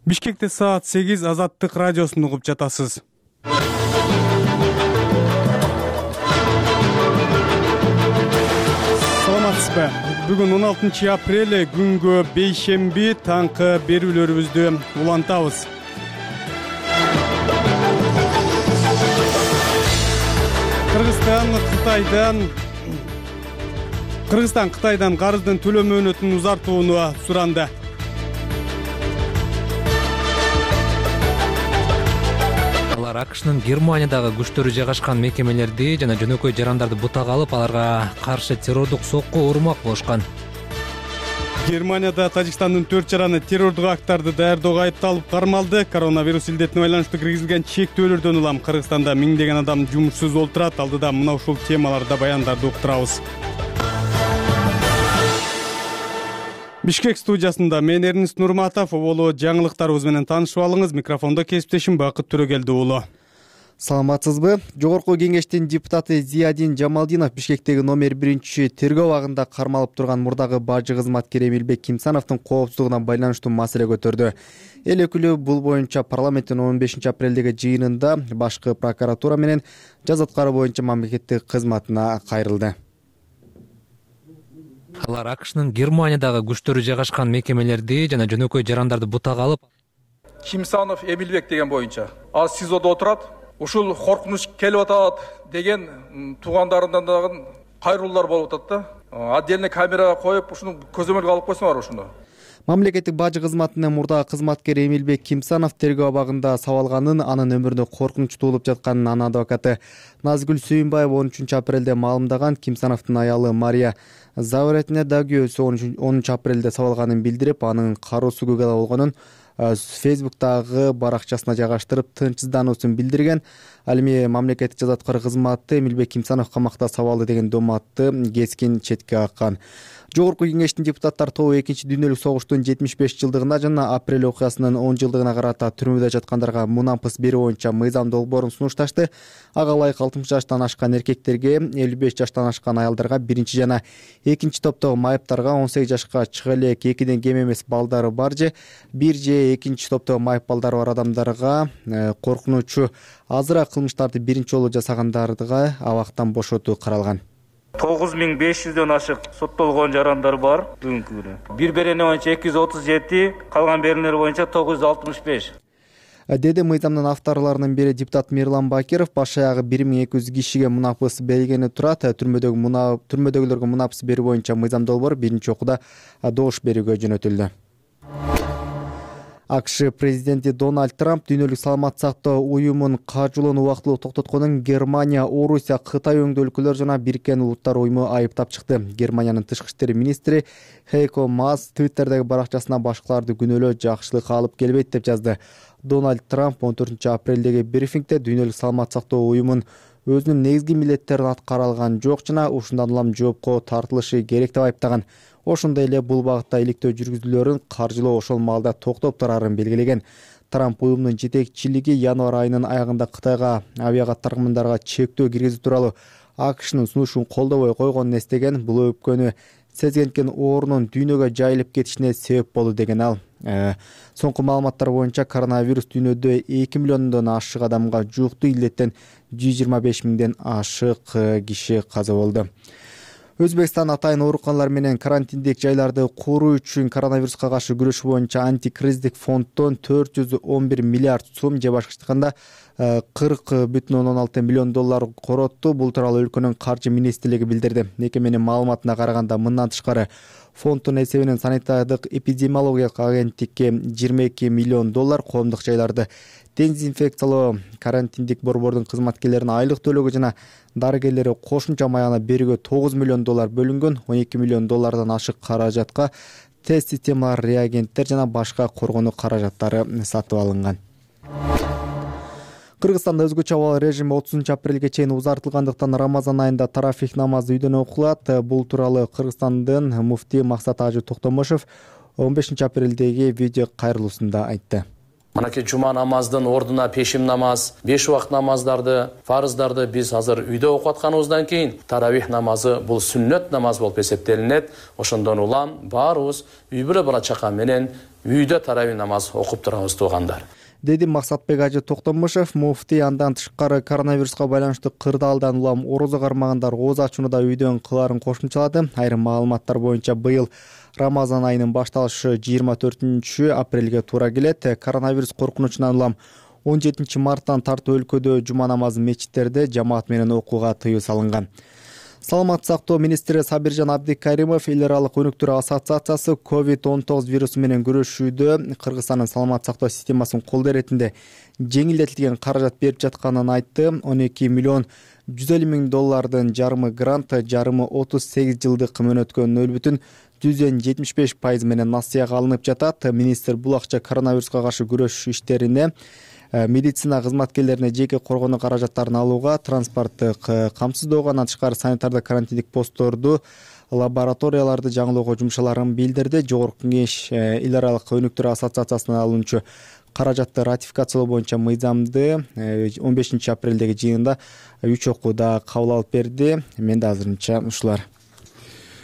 Бишкекте саат 8 Азаттык радиосун угуп жатасыз. Саламатсызбы? Бүгүн 16 апрель күнгө бейшемби таңкы берүүлөрүбүздү улантабыз. Кыргызстан Кытайдан карыздын төлөө мөөнөтүн узартууну суранды. Алар АКШнын Германиядагы күчтөрү жайгашкан мекемелерди жана жөнөкөй жарандарды бутак алып, аларга каршы террордук сокку урмак болушкан. Германияда Тажикстандын 4 жараны террордук акттарды даярдоого айыпталып кармалды. Коронавирус илдетине байланыштуу киргизилген чектөөлөрдөн улам Кыргызстанда миңдеген адам жумушсуз олтурат. Алдыда мына ушул темаларда баяндарды уктурабыз. Бишкек студиясында мен Эрнис Нурматов, оболу жаңылыктарыбыз менен таанышып алыңыз. Микрофондо кесиптешим Бакыт Төрөгелди уулу. Саламатсызбы? Жогорку кеңештин депутаты Зиядин Жамалдинов Бишкектеги номер 1 тергөө абагында кармалып турган мурдагы бажы кызматкери Эмилбек Кимсановдун коопсуздугуна байланыштуу маселе көтөрдү. Эл өкүлү бул боюнча парламенттин 15 апрелдеги жыйынында башкы прокуратура менен жаза аткаруу боюнча мамлекеттик кызматына кайрылды. Алар АКШнын Германиядагы күчтөрү жайгашкан мекемелерди жана жөнөкөй жарандарды бутак алып, Кимсанов Эмилбек деген боюнча азыр СИЗОдо отурат. Ушул коркунуч келип атат деген туугандарынан дагы кайрылуулар болуп атат да. Отдельный камерага коюп, ушуну көзөмөлгө алып койсоңор ушуну. Мамлекеттик бажы кызматынын мурдагы кызматкери Эмилбек Кимсанов тергөө абагында сабалганын, анын өмүрүнө коркунуч туулуп жатканын анын адвокаты Назгүл Сүйүнбаева 13 апрелде маалымдаган. Кимсановдун аялы Мария Завретне да күйөөсү 10 апрелде сабалганын билдирип, анын кароо сүгүгө болгонун Фейсбуктагы баракчасына жайгаштырып, тынчсыздануусун билдирген. Ал эми мамлекеттик жаза аткаруу кызматы Эмилбек Кимсанов камакта сабалды деген доматты кескин четке каккан. Жогорку кеңештин депутаттар тобу 2-дүйнөлүк согуштун 75 жылдыгына жана апрель окуясынын 10 жылдыгына карата түрмөдө жаткандарга мунапыс берүү боюнча мыйзам долбоорун сунушташты. Ага ылайык 60 жаштан ашкан эркектерге, 55 жаштан ашкан аялдарга, 1 жана 2 топтогу майыптарга, 18 жашка чыга элек 2ден кем эмес балдары бар же 1 же 2 топтогу майып балдары бар адамдарга коркунучу азыраак кылмыштарды 1 жасагандардыга абактан бошотуу каралган. 9500дөн ашык соттолгон жарандар бар бүгүнкү күнү. Бир берене боюнча 237, калган беренелер боюнча 965. Деди мыйзамдын авторлорунун бири депутат Мирлан Бакиров. Баш аягы 1200 кишиге мунапыс берилгени турат. Түрмөдөгүлөргө мунапыс берүү боюнча мыйзам долбоор 1-окууда добуш берүүгө жөнөтүлдү. АКШ президенти Дональд Трамп дүйнөлүк саламаттык сактоо уюмун кажуулоону убактылуу токтотконун Германия, Орусия, Кытай өңдүү өлкөлөр жана Бириккен Улуттар уюму айыптап чыкты. Германиянын тышкы иштер министри Хейко Маас Твиттердеги баракчасына башкаларды күнөөлөө жакшылык алып келбейт деп жазды. Дональд Трамп 14 апрелдеги брифингде дүйнөлүк саламаттык сактоо уюмун өзүнүн негизги милдеттерин аткара алган жок жана ушундан улам жоопко тартылышы керек деп айыптаган. Ошондой эле бул багытта иликтөө жүргүзүүлөрүн каржылоо ошол маалда токтоп турарын белгилеген. Трамп уюмдун жетекчилиги январь айынын аягында Кытайга авиакатармандарга чектөө киргизүү тууралуу АКШнын сунушун колдобой койгонун эстеген. Бул өпкөнү сезгенкен оорунун дүйнөгө жайылып кетишине себеп болду деген ал. Соңку маалыматтар боюнча коронавирус дүйнөдө 2 миллиондон ашык адамга жукту, илдеттен 125 миңден ашык киши каза болду. Өзбекстан атайын ооруканалар менен карантиндик жайларды куруу үчүн коронавируска каршы күрөш боюнча антикризистик фонддон 411 миллиард сом же башкача айтканда 40,16 миллион доллар коротту. Бул тууралуу өлкөнүн каржы министрлиги билдирди. Мекеменин маалыматына караганда, мындан тышкары фонддун эсебинен санитардык эпидемиологиялык агенттикке 22 миллион доллар, коомдук жайларды дезинфекциялоо, карантиндик борбордун кызматкерлерине айлык төлөөгө жана дарыгерлери кошумча маягына берүүгө 9 миллион доллар бөлүнгөн. 12 миллион доллардан ашык каражатка тест системалар, реагенттер жана башка коргонуу каражаттары сатып алынган. Кыргызстанда өзгөчө абал режими 30 апрелге чейин узартылгандыктан Рамазан айында тарафих намазы үйдөн окулат. Бул тууралуу Кыргызстандын муфти Максат Ажы Токтомошов 15 апрелдеги видео кайрылуусунда айтты. Мынакей жума намаздын ордуна пешим намаз, 5 убакыт намаздарды, фарыздарды биз азыр үйдө окуп атканыбыздан кийин таравих намазы бул сүннөт намаз болуп эсептелинет. Ошондон улам баарыбыз үй бүлө бала чака менен үйдө таравих намаз окуп турабыз туугандар. Деди Максатбек Ажы Токтомушев. Муфтий андан тышкары коронавируска байланыштуу кырдаалдан улам орозо кармагандар ооз ачууну да үйдөн кылаарын кошумчалады. Айрым маалыматтар боюнча быйыл Рамазан айынын башталышы 24 апрелге туура келет. Коронавирус коркунучунан улам 17 марттан тартып өлкөдө жума намазын мечиттерде жамаат менен окууга тыюу салынган. Саламаттык сактоо министри Сабиржан Абдикаримов эл аралык өнүктүү ассоциациясы COVID-19 вирусу менен күрөшүүдө Кыргызстандын саламаттык сактоо системасын колдоо иретинде жеңилдетилген каражат берип жатканын айтты. 12 миллион 150 миң доллардын жарымы грант, жарымы 38 жылдык мөөнөткө 0,75% менен насыяга алынып жатат. Министр бул акча коронавируска каршы күрөш иштерине, медицина кызматкерлерине жеке коргонуу каражаттарын алууга, транспорттук камсыздоого, андан тышкары санитардык карантиндик постторду, лабораторияларды жаңылоого жумшаларын билдирди. Жогорку Кеңеш эл аралык өнүктүү ассоциациясына алынчу каражатты ратификациялоо боюнча мыйзамды 15 апрелдеги жыйында 3 окууда кабыл алып берди. Менде азырынча ушулар.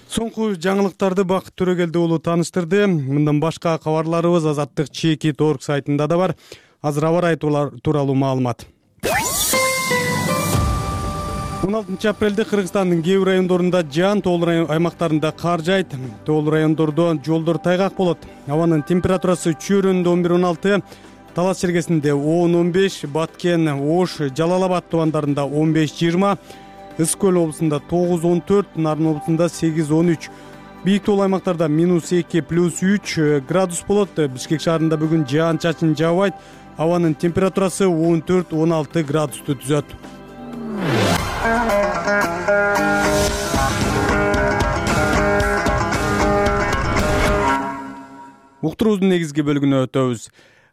Соңку жаңылыктарды Бакыт Төрөгелди уулу тааныштырды. Мындан башка кабарларыбыз Азаттык Чекит.org сайтында да бар. Азыр аба ырайы тууралуу маалымат. 16 апрелде Кыргызстандын кээ бир райондорунда жаан, тоолуу аймактарында кар жайт. Тоолуу райондордо жолдор тайгак болот. Абанын температурасы Чөйрөндө 11-16, Талас чергесинде 10-15, Баткен, Ош, Жалал-Абад тубандарында 15-20, Ысык көл облусунда 9-14, Нарын облусунда 8-13. Бийик тоолуу аймактарда -2, +3 градус болот. Бишкек шаарында бүгүн жаан-чачын жаабайт. Абанын температурасы 14-16 градусту түзөт. Уктуруубуздун негизги бөлүгүнө өтөбүз.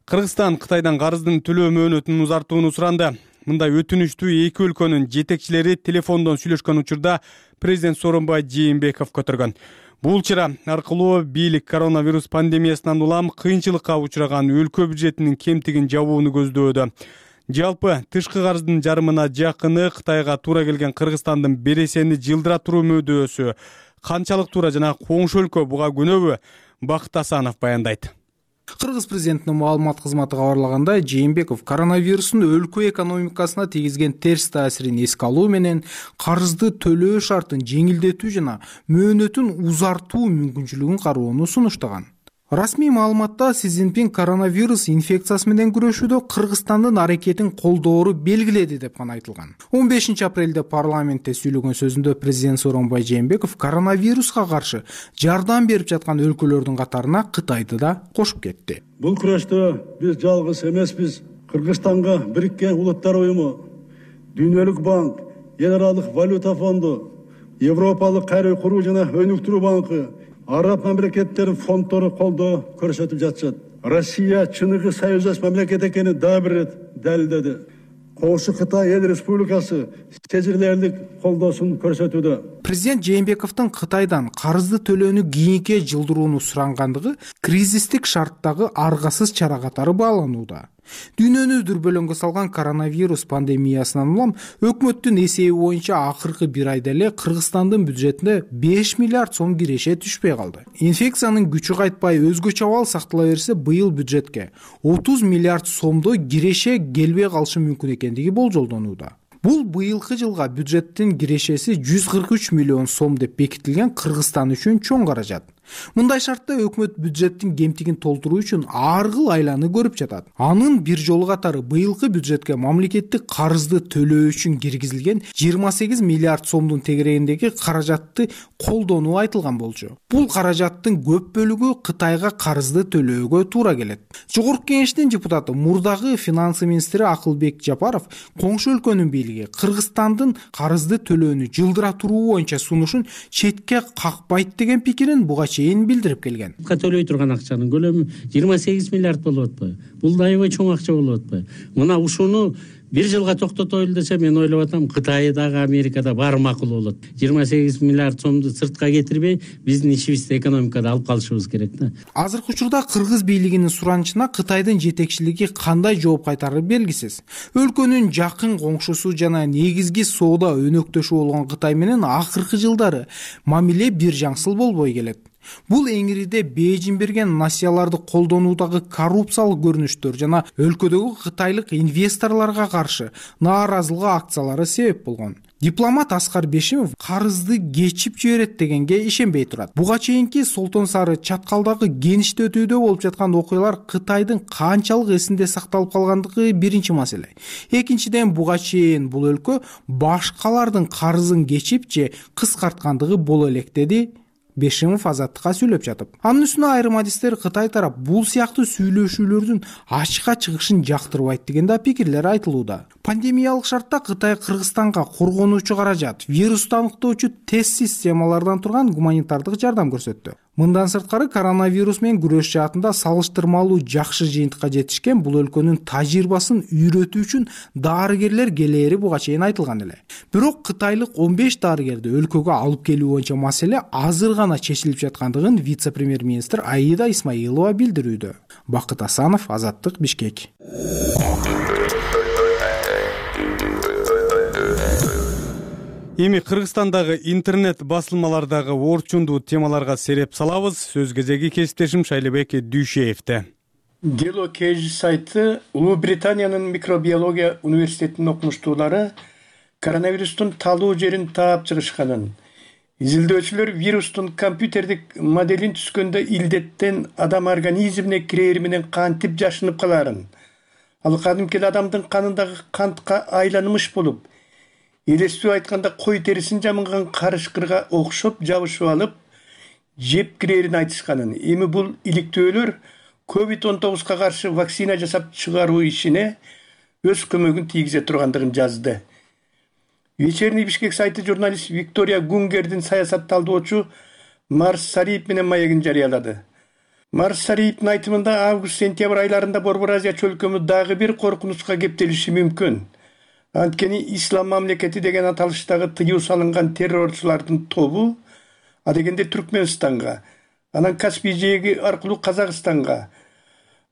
Кыргызстан Кытайдан карыздын төлөө мөөнөтүн узартууну суранды. Мындай өтүнүштү эки өлкөнүн жетекчилери телефондон сүйлөшкөн учурда президент Сооронбай Жээнбеков көтөргөн. Бул чара аркылуу бийлик коронавирус пандемиясынан улам кыйынчылыкка учураган өлкө бюджетинин кемтигин жабууну көздөөдө. Жалпы тышкы карыздын жарымына жакыны Кытайга туура келген Кыргызстандын бересени жылдыра туруу мөдөсү канчалык туура жана коңшу өлкө буга күнөбү? Бакыт Асанов баяндайт. Кыргыз президентинин маалымат кызматы кабарлагандай, Жээнбеков коронавирустун өлкө экономикасына тийгизген терс таасирин эске алуу менен карызды төлөө шартын жеңилдетүү жана мөөнөтүн узартуу мүмкүнчүлүгүн кароону сунуштаган. Расмий маалыматта Си Цзиньпин коронавирус инфекциясы менен күрөшүүдө Кыргызстандын аракетин колдоору белгиледи деп гана айтылган. 15 апрелде парламентте сүйлөгөн сөзүндө президент Сооронбай Жээнбеков коронавируска каршы жардам берип жаткан өлкөлөрдүн катарына Кытайды да кошуп кетти. Бул күрөштө биз жалгыз эмеспиз. Кыргызстанга Бириккен Улуттар уюму, Дүйнөлүк банк, Эл аралык валюта фонду, Европалык кайра куруу жана өнүктүрүү банкы, Араб мамлекеттеринин фонддору колдоо көрсөтүп жатышат. Россия чыныгы союздаш мамлекет экенин дагы бир ирет далилдеди. Коңшу Кытай Эл Республикасы сезилерлик колдоосун көрсөтүүдө. Президент Жээнбековдун Кытайдан карызды төлөөнү кийинке жылдырууну сурангандыгы кризистик шарттагы аргасыз чара катары бааланууда. Дүйнөнү дүрбөлөңгө салган коронавирус пандемиясынан улам өкмөттүн эсеби боюнча акыркы бир айда эле Кыргызстандын бюджетине 5 миллиард сом киреше түшпөй калды. Инфекциянын күчү кайтпай өзгөчө абал сактала берсе, быйыл бюджетке 30 миллиард сомдой киреше келбей калышы мүмкүн экендиги болжолдонууда. Бул быйылкы жылга бюджеттин кирешеси 143 миллион сом деп бекитилген Кыргызстан үчүн чоң каражат. Мындай шартта өкмөт бюджеттин кемтигин толтуруу үчүн ар кыл айланы көрүп жатат. Анын бир жолу катары быйылкы бюджетке мамлекеттик карызды төлөө үчүн киргизилген 28 миллиард сомдун тегерегиндеги каражатты колдонуу айтылган болчу. Бул каражаттын көп бөлүгү Кытайга карызды төлөөгө туура келет. Жогорку Кеңештин депутаты, мурдагы финансы министри Акылбек Жапаров коңшу өлкөнүн бийлиги Кыргызстандын карызды төлөөнү жылдыра туруу боюнча сунушун четке какпайт деген пикирин буга билдирип келген. Төлөй турган акчанын көлөмү 28 миллиард болуп атпайбы? Бул да аябай чоң акча болуп атпайбы? Мына ушуну бир жылга токтотойлу десе мен ойлоп атам Кытайдагы Америкада баары макул болот. 28 миллиард сомду сыртка кетирбей биздин ишибизди экономикада алып калышыбыз керек да. Азыркы учурда кыргыз бийлигинин суранычына Кытайдын жетекчилиги кандай жооп кайтарары белгисиз. Өлкөнүн жакын коңшусу жана негизги соода өнөктөшү болгон Кытай менен акыркы жылдары мамиле бир жаңсыл болбой келет. Бул эңириде Бейжин берген насыяларды колдонуудагы коррупциялык көрүнүштөр жана өлкөдөгү кытайлык инвесторлорго каршы нааразылык акциялары себеп болгон. Дипломат Аскар Бешимов карызды кечип жиберет дегенге ишенбей турат. Буга чейинки Солтон Сары чаткалдагы кениште өтүүдө болуп жаткан окуялар Кытайдын канчалык эсинде сакталып калгандыгы биринчи маселе. Экинчиден, буга чейин бул өлкө башкалардын карызын кечип же кыскарткандыгы боло элек, деди Бешимов Азаттыкка сүйлөп жатып. Анын үстүнө айрым адистер Кытай тарап бул сыяктуу сүйлөшүүлөрдүн ачыкка чыгышын жактырбайт деген да пикирлер айтылууда. Пандемиялык шартта Кытай Кыргызстанга коргонуучу каражат, вирусту аныктоочу тест системалардан турган гуманитардык жардам көрсөттү. Мындан сырткары коронавирус менен күрөш жаатында салыштырмалуу жакшы жыйынтыкка жетишкен бул өлкөнүн тажрыйбасын үйрөтүү үчүн дарыгерлер келери буга чейин айтылган эле. Бирок кытайлык 15 дарыгерди өлкөгө алып келүү боюнча маселе азыр гана чечилип жаткандыгын вице-премьер-министр Аида Исмаилова билдирүүдө. Бакыт Асанов, Азаттык, Бишкек. Эми Кыргызстандагы интернет басылмалардагы орчундуу темаларга сереп салабыз. Сөз кезеги кесиптешим Шайлебек Дүйшеевде. Дело Кейж сайты Улуу Британиянын микробиология университетинин окумуштуулары коронавирустун талуу жерин таап чыгышканын, изилдөөчүлөр вирустун компьютердик моделин түзгөндө илдеттен адам организмине кирери менен кантип жашынып каларын, ал кадимки адамдын канындагы кантка айланымыш болуп, элестүү айтканда кой терисин жамынган карышкырга окшоп жабышып алып, жеп кирерин айтышканын, эми бул иликтөөлөр COVID-19 каршы вакцина жасап чыгаруу ишине өз көмөгүн тийгизе тургандыгын жазды. Вечерний Бишкек сайты журналист Виктория Гунгердин саясат талдоочу Марс Сариев менен маегин жарыялады. Марс Сариевдин айтымында август-сентябрь айларында Борбор Азия чөлкөмү дагы бир коркунучка кептелиши мүмкүн. Анткени Ислам мамлекети деген аталыштагы тыюу салынган террорчулардын тобу адегенде Түркмөнстанга, анан Каспий жээги аркылуу Казакстанга,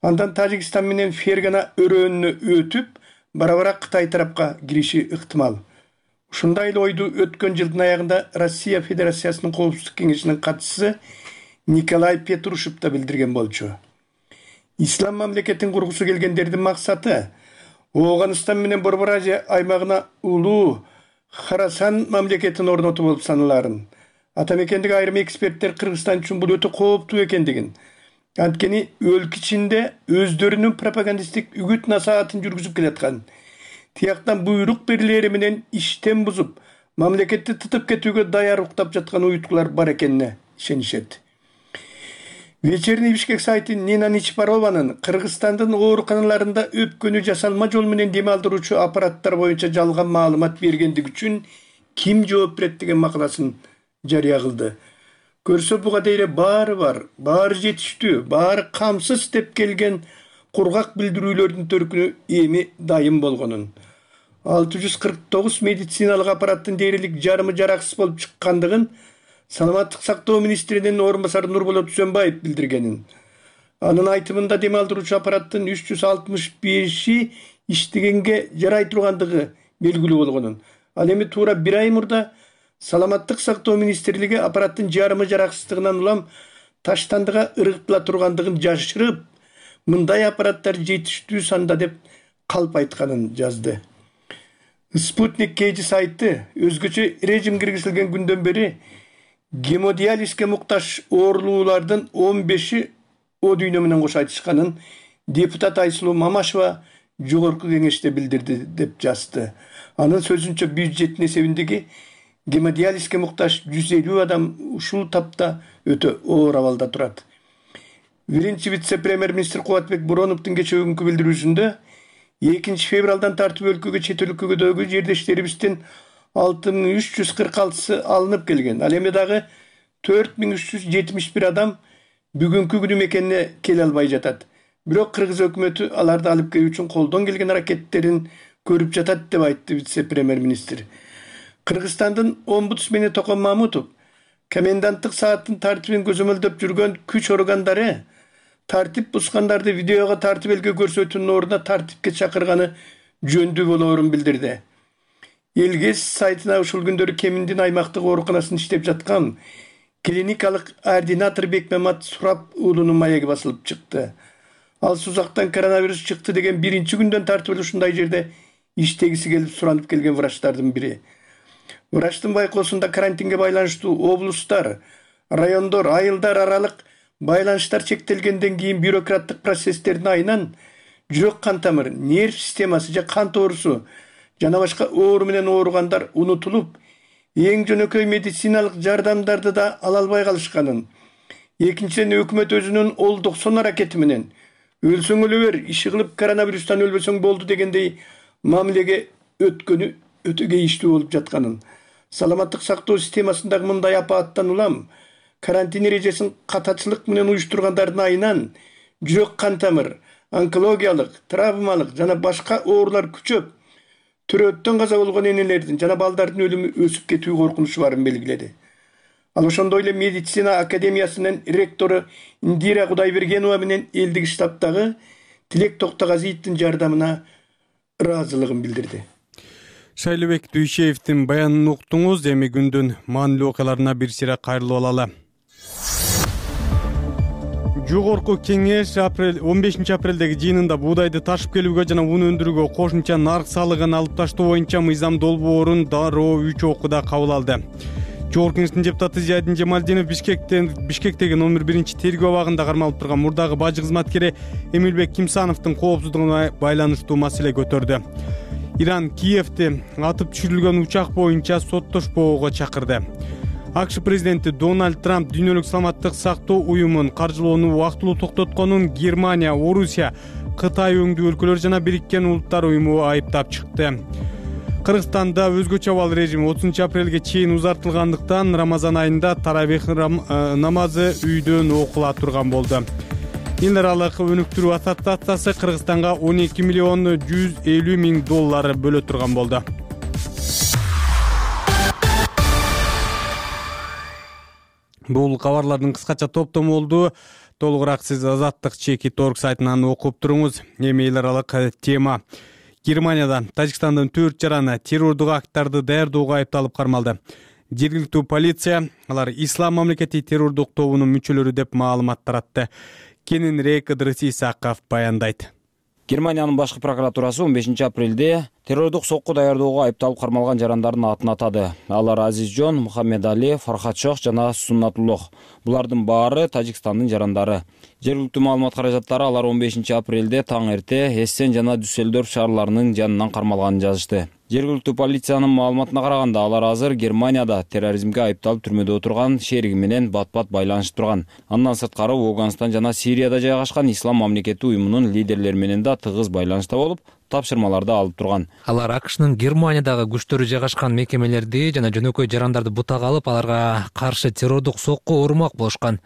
андан Тажикстан менен Фергана өрөөнүнө өтүп, бара-бара Кытай тарапка кириши ыктымал. Ушундай эле ойду өткөн жылдын аягында Россия Федерациясынын коопсуздук кеңешинин катчысы Николай Петрушев да билдирген болчу. Ислам мамлекетин кургусу келгендердин максаты Оғаныстан менен Борбор Азия аймагына улуу Харасан мамлекетин орнотуу болуп саналарын. Атамекендеги айрым эксперттер Кыргызстан үчүн бул өтө кооптуу экендигин, анткени өлкө ичинде өздөрүнүн пропагандисттик үгүт насаатын жүргүзүп келаткан, тияктан буйрук берилери менен иштен бузуп, мамлекетти тытып кетүүгө даяр уктап жаткан уюткулар бар экенине ишенишет. Вечерний Бишкек сайты Нина Ничпарованын Кыргызстандын ооруканаларында өпкөнү жасалма жол менен дем алдыруучу аппараттар боюнча жалган маалымат бергендиги үчүн ким жооп берет деген макаласын жарыя кылды. Көрсө буга дейре баары бар, баары жетиштүү, баары камсыз деп келген кургак билдирүүлөрдүн төркүнү эми дайым болгонун. 649 медициналык аппараттын дээрлик жарымы жараксыз болуп чыккандыгын Саламаттык сактоо министринин орун басары Нурболот Түзөнбаев билдиргенин. Анын айтымында дем алдыруучу аппараттын 365 иштегенге жарай тургандыгы белгилүү болгонун. Ал эми туура бир ай мурда Саламаттык сактоо министрлиги аппараттын жарымы жараксыздыгынан улам таштандыга ыргытыла тургандыгын жашырып, мындай аппараттар жетиштүү санда деп калп айтканын жазды. Спутник Кейж сайты өзгөчө режим киргизилген күндөн бери гемодиализге муктаж оорулуулардын 15-и о дүйнө менен кош айтышканын депутат Айсулуу Мамашева жогорку кеңеште билдирди деп жазды. Анын сөзүнчө бюджеттин эсебиндеги гемодиализге муктаж 150 адам ушул тапта өтө оор абалда турат. Биринчи вице-премьер-министр Кубатбек Буроновдун кечээкүнкү билдирүүсүндө 2 февралдан тартып өлкөгө чет өлкөдөгү жердештерибиздин 6346 алынып келген. Ал эми дагы 4371 адам бүгүнкү күнү мекенине келе албай жатат. Бирок Кыргыз өкмөтү аларды алып келүү үчүн колдон келген аракеттерин көрүп жатат деп айтты вице-премьер-министр. Кыргызстандын омбудсмени Токон Мамутов коменданттык сааттын тартибин көзөмөлдөп жүргөн күч органдары тартип бузгандарды видеого тартып элге көрсөтүүнүн ордуна тартипке чакырганы жөндүү болоорун билдирди. Элгес сайтына ушул күндөрү Кеминдин аймактык ооруканасында иштеп жаткан клиникалык ординатор Бекмамат Сурап уулунун маеги басылып чыкты. Ал Сузактан коронавирус чыкты деген биринчи күндөн тартып эле ушундай жерде иштегиси келип суранып келген врачтардын бири. Врачтын байкоосунда карантинге байланыштуу облустар, райондор, айылдар аралык байланыштар чектелгенден кийин бюрократтык процесстердин айынан жүрөк кан тамыр, нерв системасы же кан тоорусу жана башка оору менен ооругандар унутулуп, эң жөнөкөй медициналык жардамдарды да ала албай калышканын, экинчиден өкмөт өзүнүн ол-90 аракети менен өлсөң өлө бер, иши кылып коронавирустан өлбөсөң болду дегендей мамилеге өткөнү өтө кейиштүү болуп жатканын, саламаттык сактоо системасындагы мындай апааттан улам карантин эрежесин катачылык менен уюштургандардын айынан жүрөк кан тамыр, онкологиялык, травмалык жана башка оорулар күчөп, төрөттөн каза болгон энелердин жана балдардын өлүмү өсүп кетүү коркунучу барын белгиледи. Ал ошондой эле медицина академиясынын ректору Индира Кудайбергенова менен элдик штабтагы Тилек Токтогазиевдин жардамына ыраазылыгын билдирди. Шайлыбек Дүйшеевдин баянын уктуңуз. Эми күндүн маанилүү окуяларына бир сыйра кайрылып алалы. Жогорку кеңеш 15 апрелдеги жыйынында буудайды ташып келүүгө жана уну өндүрүүгө кошумча нарк салыгын алып таштоо боюнча мыйзам долбоорун дароо 3 окууда кабыл алды. Жогорку кеңештин депутаты Зиядин Жамалдинов Бишкектеги номер 1 тергөө абагында кармалып турган мурдагы бажы кызматкери Эмилбек Кимсановдун коопсуздугуна байланыштуу маселе көтөрдү. Иран Киевди атып түшүрүлгөн учак боюнча соттошпоого чакырды. АКШ президенти Дональд Трамп дүйнөлүк саламаттык сактоо уюмун каржылоону убактылуу токтотконун Германия, Орусия, Кытай өңдүү өлкөлөр жана Бириккен Улуттар уюму айыптап чыкты. Кыргызстанда өзгөчө абал режими 30 апрелге чейин узартылгандыктан Рамазан айында таравих намазы үйдөн окула турган болду. Эл аралык өнүктүрүү ассоциациясы Кыргызстанга 12 миллион 150 миң доллар бөлө турган болду. Бул кабарлардын кыскача топтому болду. Толугураак сиз Азаттык.org сайтынан окуп туруңуз. Эми эл аралык тема. Германияда Тажикстандын 4 жараны террордук акттарды даярдоого айыпталып кармалды. Жергиликтүү полиция алар Ислам мамлекети террордук тобунун мүчөлөрү деп маалымат таратты. Кененирээк Ыдрыс Исаков баяндайт. Германиянын башкы прокуратурасы 15 апрелде террордук сокку даярдоого айыпталып кармалган жарандардын атын атады. Алар Азизжон, Мухаммедали, Фархатшох жана Суннатуллох. Булардын баары Тажикстандын жарандары. Жергиликтүү маалымат каражаттары алар 15 апрелде таң эрте Эссен жана Дюссельдорф шаарларынын жанынан кармалганын жазышты. Жергиликтүү полициянын маалыматына караганда алар азыр Германияда терроризмге айыпталып түрмөдө отурган шериги менен бат-бат байланышып турган. Андан сырткары Афганистан жана Сирияда жайгашкан Ислам мамлекети уюмунун лидерлери менен да тыгыз байланышта болуп, тапшырмаларды алып турган. Алар АКШнын Германиядагы күчтөрү жайгашкан мекемелерди жана жөнөкөй жарандарды бутага алып, аларга каршы террордук сокку урмак болушкан.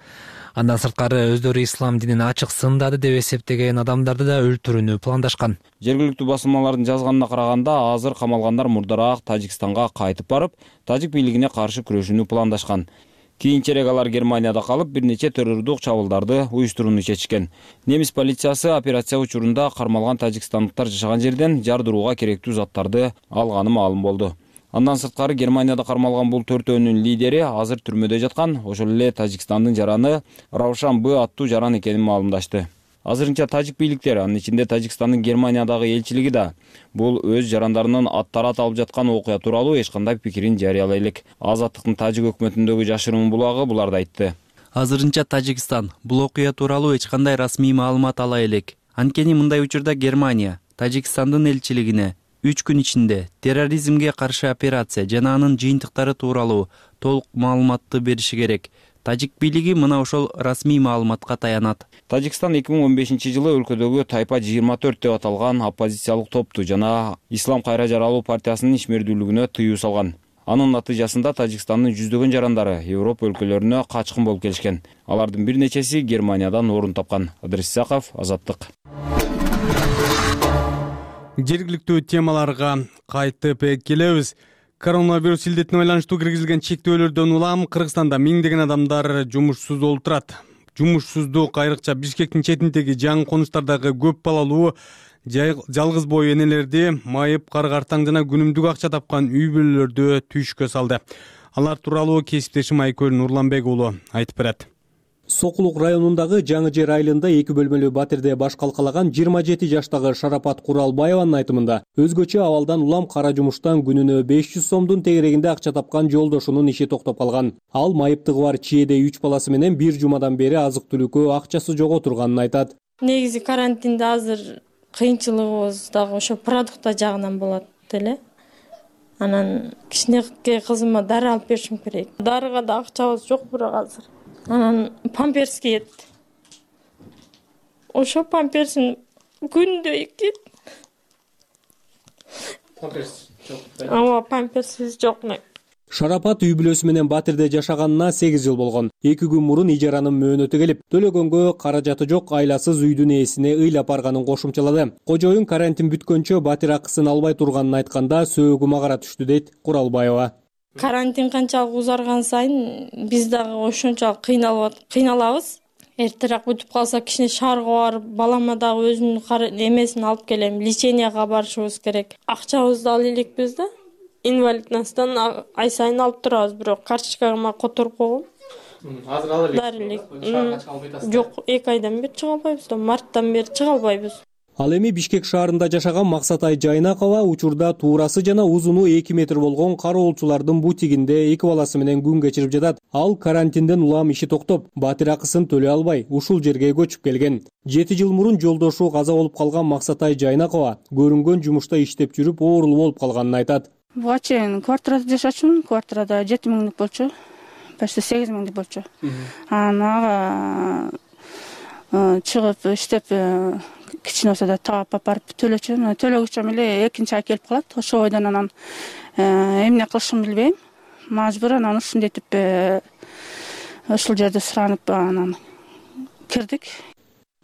Андан сырткары өздөрү ислам динин ачык сындады деп эсептеген адамдарды да өлтүрүүнү пландашкан. Жергиликтүү басылмалардын жазганына караганда, азыр камалгандар мурдараак Тажикстанга кайтып барып, тажик бийлигине каршы күрөшүүнү пландашкан. Кийинчерээк алар Германияда калып, бир нече террордук чабуулдарды уюштурууну чечишкен. Немис полициясы операция учурунда кармалган тажикстандыктар жашаган жерден жардырууга керектүү заттарды алганы маалым болду. Андан сырткары Германияда кармалган бул төртөөнүн лидери азыр түрмөдө жаткан, ошол эле Тажикстандын жараны Раушан Б аттуу жаран экенин маалымдашты. Азырынча тажик бийликтери, анын ичинде Тажикстандын Германиядагы элчилиги да бул өз жарандарынын аттары аталып жаткан окуя тууралуу эч кандай пикирин жарыялай элек. Азаттыктын тажик өкмөтүндөгү жашыруун булагы буларды айтты. Азырынча Тажикстан бул окуя тууралуу эч кандай расмий маалымат ала элек. Анткени мындай учурда Германия Тажикстандын элчилигине 3 күн ичинде терроризмге каршы операция жана анын жыйынтыктары тууралуу толук маалыматты бериши керек. Тажик бийлиги мына ошол расмий маалыматка таянат. Тажикстан 2015-жылы өлкөдөгү Тайпа 24 деп аталган оппозициялык топту жана Ислам кайра жаралуу партиясынын ишмердүүлүгүнө тыюу салган. Анын натыйжасында Тажикстандын жүздөгөн жарандары Европа өлкөлөрүнө качкын болуп келишкен. Алардын бир нечеси Германиядан орун тапкан. Ыдрыс Исаков, Азаттык. Жергиликтүү темаларга кайтып келебиз. Коронавирус илдетине байланыштуу киргизилген чектөөлөрдөн улам Кыргызстанда миңдеген адамдар жумушсуз олтурат. Жумушсуздук айрыкча Бишкектин четиндеги жаңы конуштардагы көп балалуу жалгыз бой энелерди майып, кар-картаң жана күнүмдүк акча тапкан үй бүлөлөрдү түйшккө салды. Алар тууралуу кесиптешим Айкөл Нурланбек уулу айтып берет. Сокулук районундагы Жаңы Жер айылында 2 бөлмөлүү батирде баш калкалаган 27 жаштагы Шарапат Куралбаеванын айтымында өзгөчө абалдан улам кара жумуштан күнүнө 500 сомдун тегерегинде акча тапкан жолдошунун иши токтоп калган. Ал майыптыгы бар чиеде 3 баласы менен 1 жумадан бери азык-түлүккө акчасы жок отурганын айтат. Негизи карантинде азыр кыйынчылыгыбыз дагы ошо продукта жагынан болот эле. Анан кичинекей кызыма дары алып беришим керек. Дарыга да акчабыз жок бирок азыр. Анан памперс кийет. Ошо памперсин күндө 2. Памперс жок. Ооба, памперсиз жок. Шарапат үй бүлөсү менен батирде жашаганына 8 жыл болгон. 2 күн мурун ижаранын мөөнөтү келип, төлөгөнгө каражаты жок айласыз үйдүн ээсине ыйлап барганын кошумчалады. Кожоюн карантин бүткөнчө батир акысын албай турганын айтканда сөөгүм агара түштү дейт Куралбаева. Карантин канчалык узарган сайын биз дагы ошончолук кыйналабыз. Эртерээк бүтүп калса кичине шаарга барып, балама дагы өзүнүн эмесин алып келем, леченияга барышыбыз керек. Акчабызды ала элекпиз да. Инвалидностон ай сайын алып турабыз, бирок карточкага которуп койгом. Азыр ала элек. Шаарга чыга албайсыз? Жок, 2 айдан бери чыга албайбыз да, марттан бери чыга албайбыз. Ал эми Бишкек шаарында жашаган Максатай Жайнакова учурда туурасы жана узуну 2 метр болгон кароолчулардын бутигинде 2 баласы менен күн кечирип жатат. Ал карантинден улам иши токтоп, батир акысын төлөй албай, ушул жерге көчүп келген. 7 жыл мурун жолдошу каза болуп калган Максатай Жайнакова көрүнгөн жумушта иштеп жүрүп оорулуу болуп калганын айтат. Буга чейин квартирада жашачумун. Квартирада 7 миңдик болчу. Почти 8 миңдик болчу. Анан чыгып иштеп кичине болсо да таап барып төлөчүмүн. Төлөгүчөм эле экинчи ай келип калат. Ошол бойдон анан эмне кылышымды билбейм. Мажбур анан ушинтип ушул жерде суранып анан кирдик.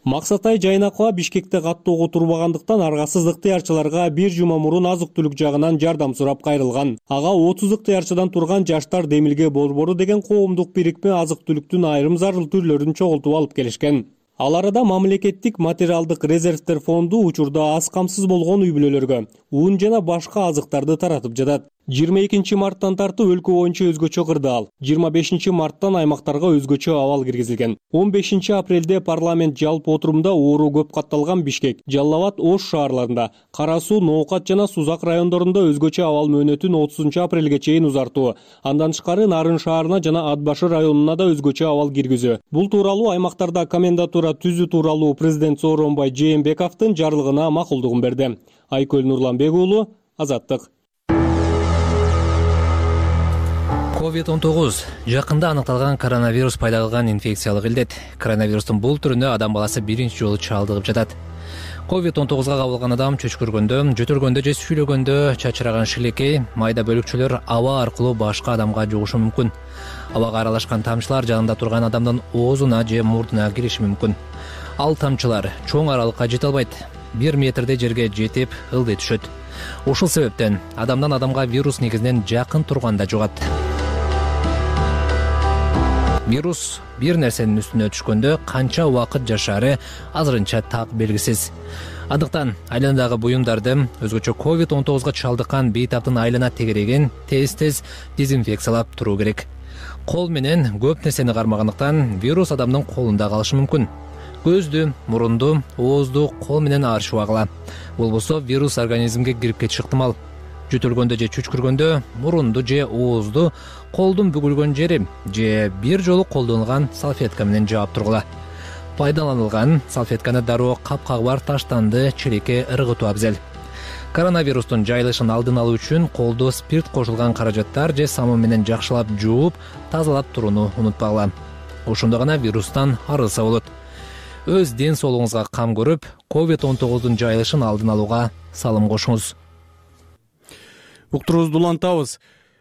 Максатай Жайнакова Бишкекте каттоого турбагандыктан аргасыз ыктыярчыларга 1 жума мурун азык-түлүк жагынан жардам сурап кайрылган. Ага 30 ыктыярчыдан турган Жаштар Демилге борбору деген коомдук бирикме азык-түлүктүн айрым зарыл түрлөрүн чогултуп алып келишкен. Ал арада мамлекеттик материалдык резервтер фонду учурда аз камсыз болгон үй бүлөлөргө ун жана башка азыктарды таратып жатат. 22 марттан тартып өлкө боюнча өзгөчө кырдаал, 25 марттан аймактарга өзгөчө абал киргизилген. 15 апрелде парламент жалпы отурумда оору көп катталган Бишкек, Жалал Абад, Ош шаарларында, Кара Суу, Ноокат жана Сузак райондорунда өзгөчө абал мөөнөтүн 30 апрелге чейин узартуу, андан тышкары Нарын шаарына жана Атбашы районуна да өзгөчө абал киргизүү. Бул тууралуу аймактарда комендатура түзүү тууралуу президент Сооронбай Жээнбековдун жарлыгына макулдугун берди. Айкөл Нурланбек уулу, Азаттык. COVID-19 жакында аныкталган коронавирус пайда кылган инфекциялык илдет. Коронавирустун бул түрүнө адам баласы биринчи жолу чалдыгып жатат. COVID-19га кабылган адам чөчкүргөндө, жөтөлгөндө же сүйлөгөндө чачыраган шилекей, майда бөлүкчөлөр аба аркылуу башка адамга жугушу мүмкүн. Абага аралашкан тамчылар жанында турган адамдын оозуна же мурдуна кириши мүмкүн. Ал тамчылар чоң аралыкка жете албайт. 1 метрдей жерге жетип ылдый түшөт. Ушул себептен адамдан адамга вирус негизинен жакын турганда жугат. Вирус бир нерсенин үстүнө түшкөндө канча убакыт жашаары азырынча так белгисиз. Андыктан айланадагы буюмдарды, өзгөчө COVID-19га чалдыккан бейтаптын айлана тегерегин тез дезинфекциялап туруу керек. Кол менен көп нерсени кармагандыктан вирус адамдын колунда калышы мүмкүн. Көздү, мурунду, оозду кол менен арчып агыла. Болбосо вирус организмге кирип кетиши ыктымал. Жөтөлгөндө же чүчкүргөндө мурунду же оозду колдун бүгүлгөн жери же бир жолу колдонулган салфетка менен жаап тургула. Пайдаланылган салфетканы дароо капкагы бар таштанды челекке ыргытуу абзел. Коронавирустун жайылышын алдын алуу үчүн колду спирт кошулган каражаттар же самун менен жакшылап жууп, тазалап турууну унутпагыла. Ошондо гана вирустан арылса болот. Өз ден соолугуңузга кам көрүп, COVID-19 жайылышын алдын алууга салым кошуңуз. Уктуруубузду улантабыз.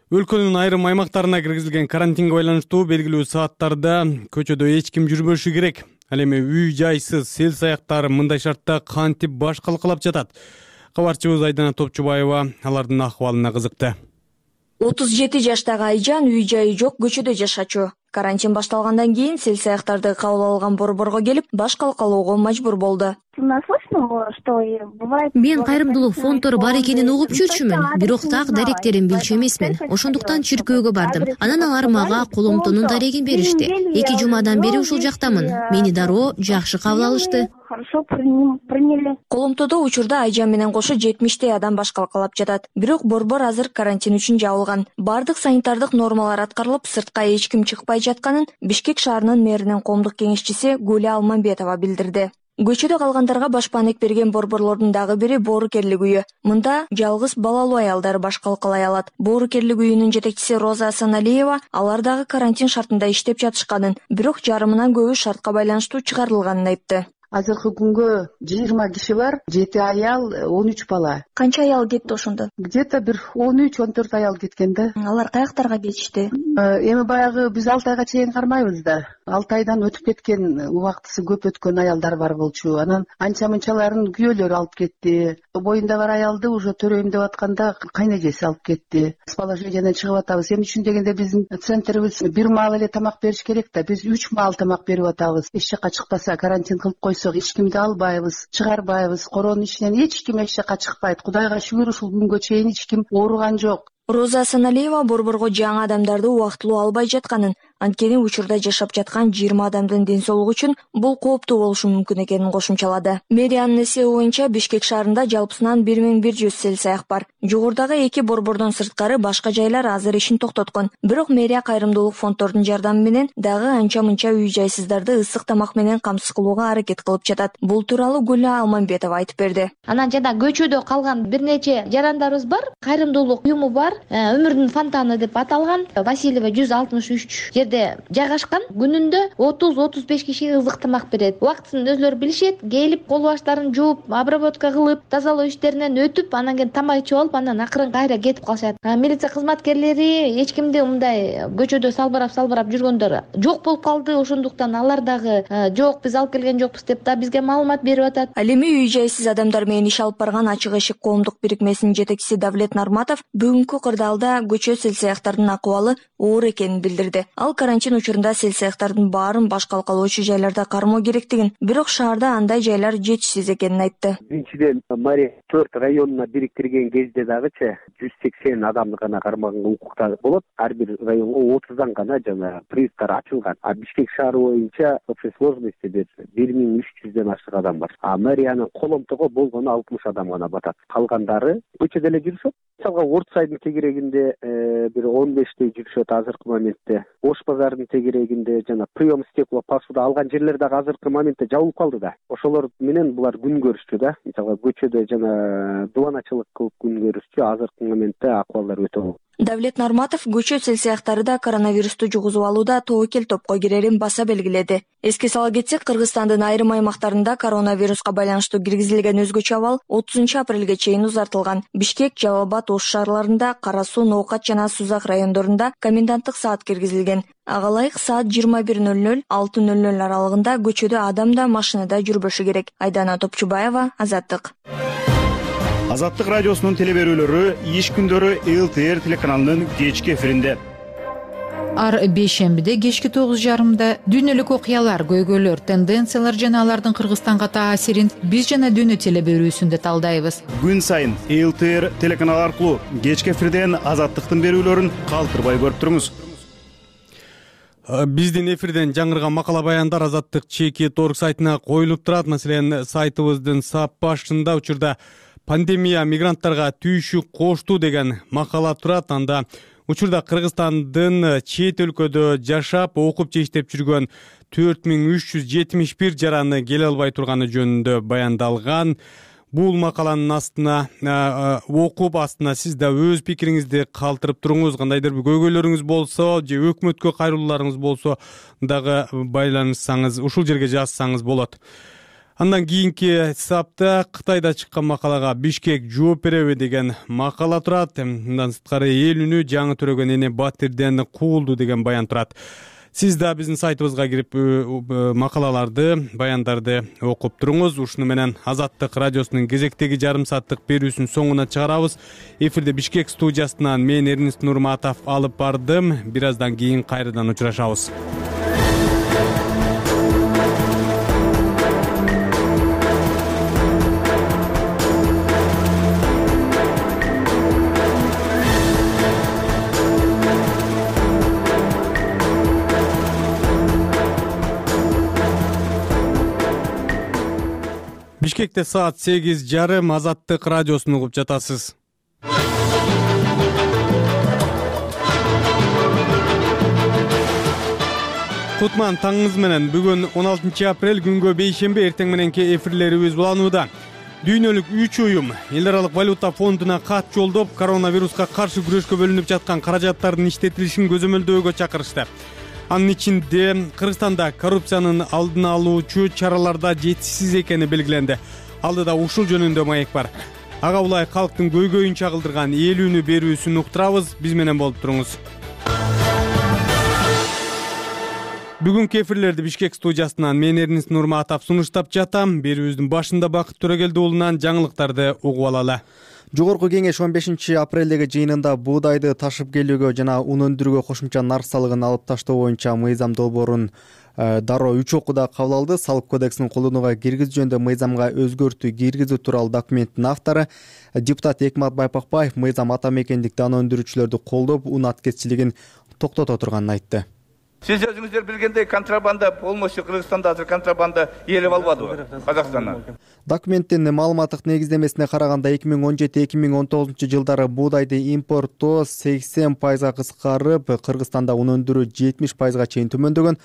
Өлкөнүн айрым аймактарына киргизилген карантинге байланыштуу белгилүү сааттарда көчөдө эч ким жүрбөшү керек. Ал эми үй жайсыз, сел саяктар мындай шартта кантип баш калкалап жатат. Кабарчыбыз Айдана Топчубаева алардын акыбалына кызыкты. 37 жаштагы Айжан үй жайы жок көчөдө жашачу. Карантин башталгандан кийин сел-саяктарды кабыл алган борборго келип, баш калкалоого мажбур болду. Мен кайрымдуулук фонддору бар экенин угуп жүрчүмүн, бирок так даректерин билчү эмесмин. Ошондуктан чиркөөгө бардым. Анан алар мага коломтонун дарегин беришти. 2 жумадан бери ушул жактамын. Мени дароо жакшы кабыл алышты. Коломтодо учурда Айжан менен кошо 70 адам баш калкалап жатат. Бирок борбор азыр карантин үчүн жабылган. Бардык санитардык нормалар аткарылып, сыртка эч ким чыкпай жатканын Бишкек шаарынын мэринин коомдук кеңешчиси Гүлү Алманбетова билдирди. Көчөдө калгандарга башпаанек берген борборлордун дагы бири Боорукерлик үйү. Мында жалгыз балалуу аялдар баш калкалай алат. Боорукерлик үйүнүн жетекчиси Роза Асаналиева алар дагы карантин шартында иштеп жатышканын, бирок жарымынан көбү шартка байланыштуу чыгарылганын айтты. Азыркы күнгө 20 киши бар, 7 аял, 13 бала. Канча аял кетти ошондо? Где-то бир 13-14 аял кеткен да. Алар каяктарга кетишти? Эми баягы биз 6 айга чейин кармайбыз да. 6 айдан өтүп кеткен, убактысы көп өткөн аялдар бар болчу. Анан анча-мынчаларын күйөөлөрү алып кетти. Боюнда бар аялды уже төрөйм деп атканда кайнежеси алып кетти. С положенияден чыгып атабыз. Эмне үчүн дегенде биздин центрибиз бир маал эле тамак бериш керек да. Биз 3 маал тамак берип атабыз. Эч жакка чыкпаса, карантин кылып койсок, эч кимди албайбыз, чыгарбайбыз. Коронун ичинен эч ким эч жакка чыкпайт. Кудайга шүгүр, ушул күнгө чейин эч ким ооруган жок. Роза Асаналиева борборго жаңы адамдарды убактылуу албай жатканын, анткени учурда жашап жаткан 20 адамдын ден соолугу үчүн бул кооптуу болушу мүмкүн экенин кошумчалады. Медианын эсеби боюнча Бишкек шаарында жалпысынан 1100 сел-саяк бар. Жогорудагы 2 борбордон сырткары башка жайлар азыр ишин токтоткон. Бирок мэрия кайрымдуулук фонддордун жардамы менен дагы анча-мынча үй жайсыздарды ысык тамак менен камсыз кылууга аракет кылып жатат. Бул тууралуу Гүлү Алманбетова айтып берди. Анан жана көчөдө калган бир нече жарандарыбыз бар, кайрымдуулук уюму бар. Өмүрдүн фонтаны деп аталган. Васильева 163 жерде жайгашкан. Күнүндө 30-35 кишиге ызык тамак берет. Убактысын өзлөрү билишет. Келип кол баштарын жууп, обработка кылып, тазалоо иштеринен өтүп, анан кийин тамак ичип алып, анан акырын кайра кетип калышат. Милиция кызматкерлери эч кимди мындай көчөдө салбырап жүргөндөр жок болуп калды. Ошондуктан алар дагы жок, биз алып келген жокпуз деп да бизге маалымат берип атат. Ал эми үй жайсыз адамдар менен иш алып барган Ачык эшик коомдук бирикмесинин жетекчиси Давлет Нарматов бүгүнкү кырдаалда көчө сел-саяктардын акыбалы оор экенин билдирди. Ал карантин учурунда сел-саяктардын баарын баш калкалоочу жайларда кармоо керектигин, бирок шаарда андай жайлар жетишсиз экенин айтты. Биринчиден, Мария 4 районуна бириктирген кезде дагычы 180 адамды гана кармаганга укуктар болот. Ар бир районго 30дан гана жана приюттар ачылган. А Бишкек шаары боюнча общей сложности 1300ден ашык адам бар. А мэриянын коломтого болгону 60 адам гана батат. Калгандары көчөдө эле жүрүшөт. Мисалга Ордсайдын тегерегинде бир 15 жүрүшөт азыркы моментте. Ош базарынын тегерегинде жана прием стекла посуда алган жерлер дагы азыркы моментте жабылып калды да. Ошолор менен булар күн көрүшчү да. Мисалга көчөдө жана дубаначылык кылып күн көрүшчү. Азыркы моментте акыбалдар өтө оор. Давлет Нарматов көчө сел-саяктары да коронавирусту жугузуп алууда тобокел топко кирерин баса белгиледи. Эске сала кетсек, Кыргызстандын айрым аймактарында коронавируска байланыштуу киргизилген өзгөчө абал 30-апрелге чейин узартылган. Бишкек, Жалал Абад, Ош шаарларында, Кара Суу, Ноокат жана Сузак райондорунда коменданттык саат киргизилген. Ага ылайык саат 21:00-6:00 аралыгында көчөдө адам да машинада жүрбөшү керек. Айдана Топчубаева, Азаттык. Азаттык радиосунун телеберүүлөрү иш күндөрү ЛТР телеканалынын кечки эфиринде. Ар бейшембиде кечки 9:30 дүйнөлүк окуялар, көйгөйлөр, тенденциялар жана алардын Кыргызстанга таасирин биз жана дүйнө телеберүүсүндө талдайбыз. Күн сайын ЛТР телеканалы аркылуу кечки эфирден Азаттыктын берүүлөрүн калтырбай көрүп туруңуз. Биздин эфирден жаңырган макала баяндар Азаттык ЧК.org сайтына коюлуп турат. Маселен, сайтыбыздын сап башында учурда пандемия мигранттарга түйшүк кошту деген макала турат. Анда учурда Кыргызстандын чет өлкөдө жашап, окуп же иштеп жүргөн 4371 жараны келе албай турганы жөнүндө баяндалган. Бул макаланын астына окуп астына сиз да өз пикириңизди калтырып туруңуз. Кандайдыр бир көйгөйлөрүңүз болсо же өкмөткө кайрылууларыңыз болсо дагы байланышсаңыз, ушул жерге жазсаңыз болот. Андан кийинки сапта Кытайда чыккан макалага Бишкек жооп береби деген макала турат. Мындан сырткары эл үнү жаңы төрөгөн эне Батирден куулду деген баян турат. Сиз да биздин сайтыбызга кирип макалаларды, баяндарды окуп туруңуз. Ушуну менен Азаттык радиосунун кезектеги жарым сааттык берүүсүн соңуна чыгарабыз. Эфирде Бишкек студиясынан мен Эрнест Нурматов алып бардым. Бир аздан кийин кайрадан учурашабыз. Бишкекте саат 8:30 Азаттык радиосун угуп жатасыз. Кутман таңыңыз менен. Бүгүн 16 апрель күнгө бейшемби эртең мененки эфирлерибиз уланууда. Дүйнөлүк 3 уюм эл аралык валюта фондуна кат жолдоп, коронавируска каршы күрөшкө бөлүнүп жаткан каражаттардын иштетилишин көзөмөлдөөгө чакырышты. Анын ичинде Кыргызстанда коррупциянын алдын алуучу чараларда жетишсиз экени белгиленди. Алдыда ушул жөнүндө маек бар. Ага улай калктын көйгөйүн чагылдырган ээлүүнү берүүсүн уктурабыз. Биз менен болуп туруңуз. Бүгүнкү эфирлерди Бишкек студиясынан мен Эрнест Нурматов сунуштап жатам. Берүүбүздүн башында Бакыт Төрөгелди уулунан жаңылыктарды угуп алалы. Жогорку кеңеш 15 апрелдеги жыйынында буудайды ташып келүүгө жана ун өндүрүүгө кошумча нарк салыгын алып таштоо боюнча мыйзам долбоорун дароо 3 окууда кабыл алды. Салык кодексин колдонууга киргизүү жөнүндө мыйзамга өзгөртүү киргизүү тууралуу документтин автору депутат Экмат Байпакбаев мыйзам ата мекендик дан өндүрүүчүлөрдү колдоп, ун аткезчилигин токтото турганын айтты. Сиз өзүңүздөр билгендей контрабанда полностью Кыргызстанда азыр контрабанда ээлеп албадыбы Казакстандан? Документтин маалыматтык негиздемесине караганда 2017-2019 жылдары буудайды импорттоо 80% кыскарып, Кыргызстанда ун өндүрүү 70% чейин төмөндөгөн.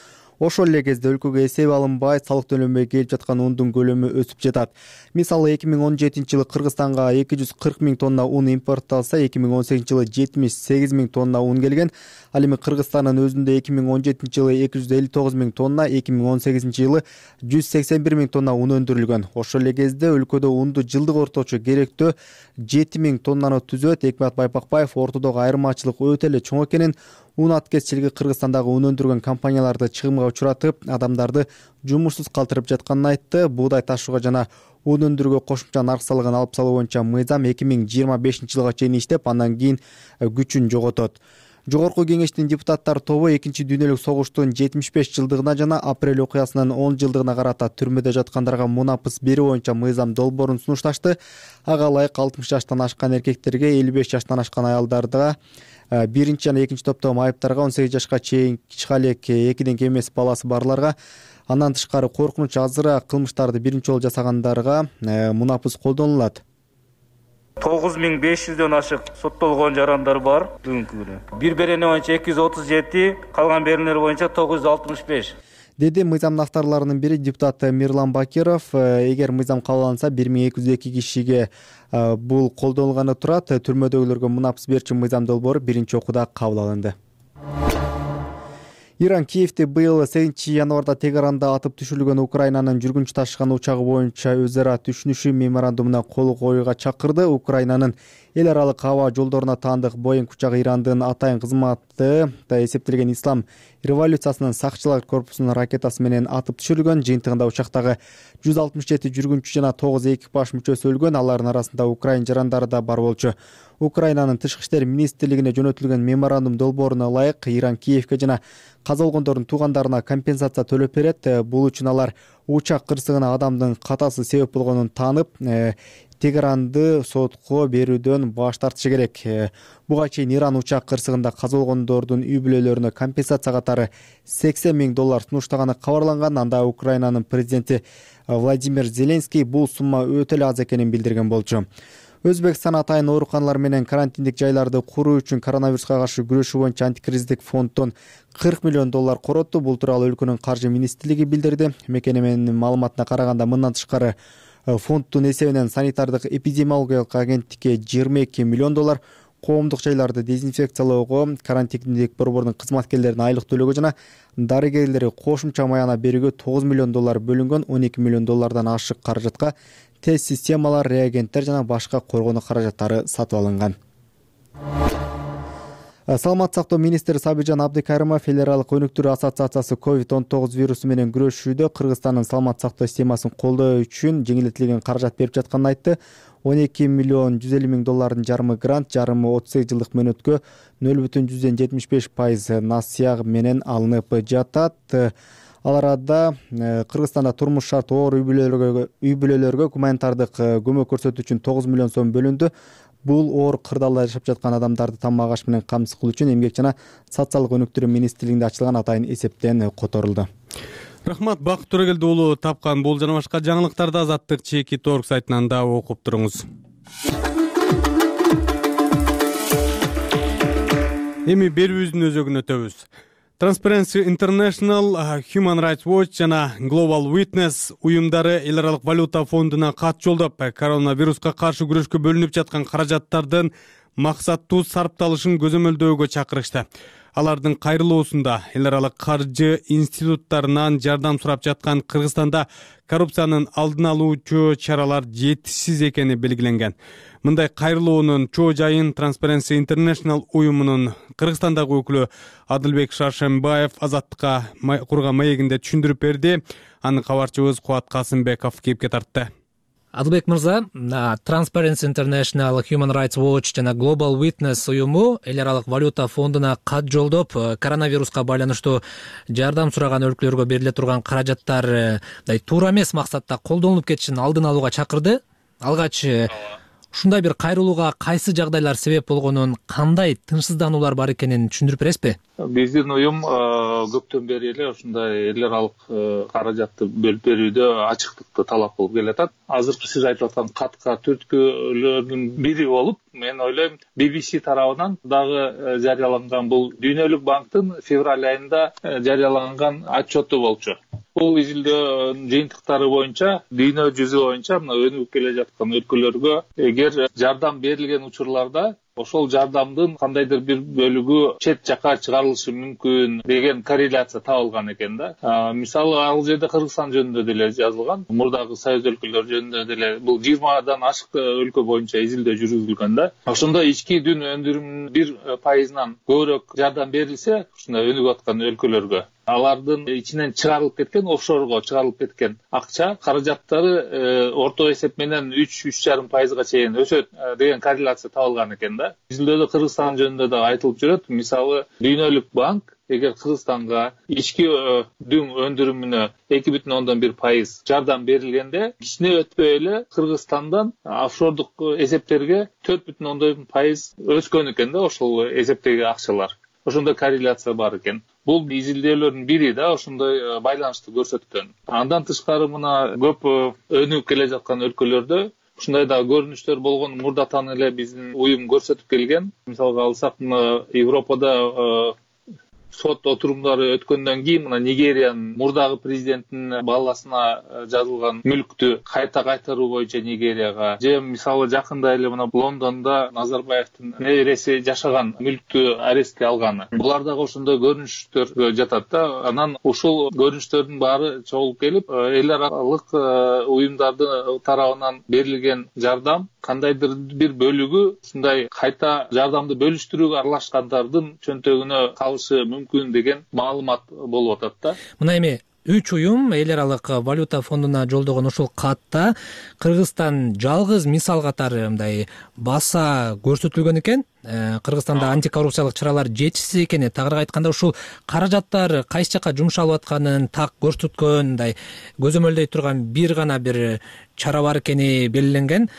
Ошол эле кезде өлкөгө эсеп алынбай, салык төлөнбөй келип жаткан ундун көлөмү өсүп жатат. Мисалы 2017 жылы Кыргызстанга 240 000 тонна ун импортталса, 2018 жылы 78 000 тонна ун келген. Ал эми Кыргызстандын өзүндө 2017 жылы 259 000 тонна, 2018 жылы 181 000 тонна ун өндүрүлгөн. Ошол эле кезде өлкөдө унду жылдык орточо керектөө 7 000 тоннаны түзөт. Экмат Байпакбаев ортодогу айырмачылык өтө эле чоң экенин, ун аткезчилиги Кыргызстандагы ун өндүргөн компанияларды чыгымга учуратып, адамдарды жумушсуз калтырып жатканын айтты. Буудай ташууга жана ун өндүрүүгө кошумча нарк салыгын алып салуу боюнча мыйзам 2025 жылга чейин иштеп, андан кийин күчүн жоготот. Жогорку кеңештин депутаттар тобу 2 дүйнөлүк согуштун 75 жылдыгына жана апрель окуясынын 10 жылдыгына карата түрмөдө жаткандарга мунапыс берүү боюнча мыйзам долбоорун сунушташты. Ага ылайык 60 жаштан ашкан эркектерге, 55 жаштан ашкан аялдарга, биринчи жана экинчи топтогу майыптарга, 18 жашка чейин чыга элек 2ден кем эмес баласы барларга, андан тышкары коркунуч азыраак кылмыштарды биринчи жолу жасагандарга мунапыс колдонулат. 9500дөн ашык соттолгон жарандар бар бүгүнкү күнү. Бир берени боюнча 237, калган беренелер боюнча 965. Деди мыйзамдын авторлорунун бири депутат Мирлан Бакиров. Эгер мыйзам кабыл алынса, 1202 кишиге бул колдонулганы турат. Түрмөдөгүлөргө мунапыс берүүчү мыйзам долбоору биринчи окууда кабыл алынды. Иран Киевди быйыл 8 январда Тегеранда атып түшүрүлгөн Украинанын жүргүнчү ташыган учагы боюнча өз ара түшүнүшүү меморандумуна кол коюуга чакырды. Украинанын эл аралык аба жолдоруна таандык Боинг учагы Ирандын атайын кызматы эсептелген Ислам революциясынын сакчылар корпусунун ракетасы менен атып түшүрүлгөн. Жыйынтыгында учактагы 167 жүргүнчү жана 9 экипаж мүчөсү өлгөн. Алардын арасында украин жарандары да бар болчу. Украинанын тышкы иштер министрлигине жөнөтүлгөн меморандум долбооруна ылайык Иран Киевге жана каза болгондордун туугандарына компенсация төлөп берет. Бул үчүн алар учак кырсыгына адамдын катасы себеп болгонун таанып, Тегеранды сотко берүүдөн баш тартышы керек. Буга чейин Иран учак кырсыгында каза болгондордун үй бүлөлөрүнө компенсация катары $80 000 сунуштаганы кабарланган. Анда Украинанын президенти Владимир Зеленский бул сумма өтө эле аз экенин билдирген болчу. Өзбекстан атайын ооруканалар менен карантиндик жайларды куруу үчүн коронавируска каршы күрөшүү боюнча антикризистик фонддон $40 миллион коротtu. Бул тууралуу өлкөнүн каржы министрлиги билдирди. Мекеменин маалыматына караганда, мындан тышкары фонддун эсебинен санитардык эпидемиологиялык агенттикке $22 миллион, коомдук жайларды дезинфекциялоого, карантиндик борбордун кызматкерлерине айлык төлөөгө жана дарыгерлери кошумча маяна берүүгө $9 миллион бөлүнгөн. $12 миллион ашык каражатка тест системалар, реагенттер жана башка коргонуу каражаттары сатып алынган. Саламаттык сактоо министри Сабижан Абдыкайрымов эл аралык өнүктүрүү ассоциациясы COVID-19 вирусу менен күрөшүүдө Кыргызстандын саламаттык сактоо системасын колдоо үчүн жеңилдетилген каражат берип жатканын айтты. 12 миллион 150 миң доллардын жарымы грант, жарымы 38 жылдык мөөнөткө 0,75% насыя менен алынып жатат. Ал арада Кыргызстанда турмуш шарты оор үй бүлөлөргө гуманитардык көмөк көрсөтүү үчүн 9 миллион сом бөлүндү. Бул оор кырдаалда жашап жаткан адамдарды тамак аш менен камсыз кылуу үчүн Эмгек жана социалдык өнүктүрүү министрлигинде ачылган атайын эсептен которулду. Рахмат, Бакыт Төрөгелди уулу. Тапкан бул жана башка жаңылыктарды Азаттык Чеки.org сайтынан да окуп туруңуз. Эми берүүбүздүн өзөгүнө өтөбүз. Transparency International, Human Rights Watch жана Global Witness уюмдары эл аралык валюта фондуна кат жолдоп, коронавируска каршы күрөшкө бөлүнүп жаткан каражаттардын максаттуу сарпталышын көзөмөлдөөгө чакырышты. Алардын кайрылуусунда эл аралык каржы институттарынан жардам сурап жаткан Кыргызстанда коррупциянын алдын алуучу чаралар жетишсиз экени белгиленген. Мындай кайрылуунун чоо жайын Transparency International уюмунун Кыргызстандагы өкүлү Адылбек Шаршембаев Азаттыкка курган маегинде түшүндүрүп берди. Аны кабарчыбыз Кубат Касымбеков кепке тартты. Адылбек мырза, Transparency International, Human Rights Watch жана Global Witness уюму эл аралык валюта фондуна кат жолдоп, коронавируска байланыштуу жардам сураган өлкөлөргө бериле турган каражаттар туура эмес максатта колдонулуп кетишин алдын алууга чакырды. Алгач ушундай бир кайрылууга кайсы жагдайлар себеп болгонун, кандай тынчсыздануулар бар экенин түшүндүрүп бересизби? Биздин уюм көптөн бери эле ушундай эл аралык каражатты бөлүп берүүдө ачыктыкты талап кылып келатат. Азыркы сиз айтып аткан катка түрткүлөрдүн бири болуп, мен ойлойм, BBC тарабынан дагы жарыяланган бул Дүйнөлүк банктын февраль айында жарыяланган отчету болчу. Бул изилдөө жыйынтыктары боюнча, дүйнө жүзү боюнча мына өнүгүп келе жаткан өлкөлөргө эгер жардам берилген учурларда ошол жардамдын кандайдыр бир бөлүгү чет жака чыгарылышы мүмкүн деген корреляция табылган экен да. Мисалы, ал жерде Кыргызстан жөнүндө деле жазылган, мурдагы союз өлкөлөр жөнүндө деле бул 20дан ашык өлкө боюнча изилдөө жүргүзүлгөн да. Ошондо ички дүн өндүрүмүнүн 1% көбүрөөк жардам берилсе, ушундай өнүгүп аткан өлкөлөргө алардын ичинен чыгарылып кеткен, офшорго чыгарылып кеткен акча каражаттары орто эсеп менен 3,5% чейин өсөт деген корреляция табылган экен да. Изилдөөдө Кыргызстан жөнүндө да айтылып жүрөт. Мисалы, Дүйнөлүк банк эгер Кыргызстанга ички дүң өндүрүмүнө 2,1% жардам берилгенде, кичине өтпөй эле Кыргызстандан офшордук эсептерге 4,1% өскөн экен да ошол эсептеги акчалар. Ошондой корреляция бар экен. Бул изилдөөлөрдүн бири да ошондой байланышты көрсөткөн. Андан тышкары мына көп өнүгүп келе жаткан өлкөлөрдө ушундай да көрүнүштөр болгон мурдатан эле биздин уюм көрсөтүп келген. Мисалга алсак, мына Европада сот отурумдары өткөндөн кийин мына Нигериянын мурдагы президентинин баласына жазылган мүлктү кайта кайтаруу боюнча Нигерияга, же мисалы жакында эле мына Лондондо Назарбаевдин небереси жашаган мүлктү арестке алганы. Булар дагы ошондой көрүнүштөр жатат да. Анан ушул көрүнүштөрдүн баары чогулуп келип, эл аралык уюмдардын тарабынан берилген жардам кандайдыр бир бөлүгү ушундай кайта жардамды бөлүштүрүүгө аралашкандардын чөнтөгүнө калышы мүмкүн деген маалымат болуп атат да. Мына эми 3 уюм эл аралык валюта фондуна жолдогон ушул катта Кыргызстан жалгыз мисал катары мындай баса көрсөтүлгөн экен. Кыргызстанда антикоррупциялык чаралар жетишсиз экени, тагыраак айтканда ушул каражаттар кайсы жака жумшалып атканын так көрсөткөн, мындай көзөмөлдөй турган бир гана бир чара бар экени белгиленген.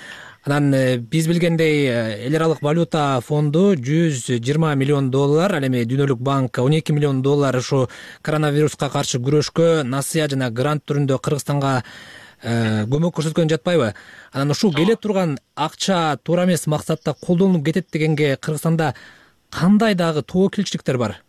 Анан биз билгендей эл аралык валюта фонду 120 миллион доллар, ал эми Дүйнөлүк банк 12 миллион доллар ушу коронавируска каршы күрөшкө насыя жана грант түрүндө Кыргызстанга көмөк көрсөткөн жатпайбы? Анан ушул келе турган акча туура эмес максатта колдонулуп кетет дегенге Кыргызстанда кандай дагы тобокелчиликтер бар?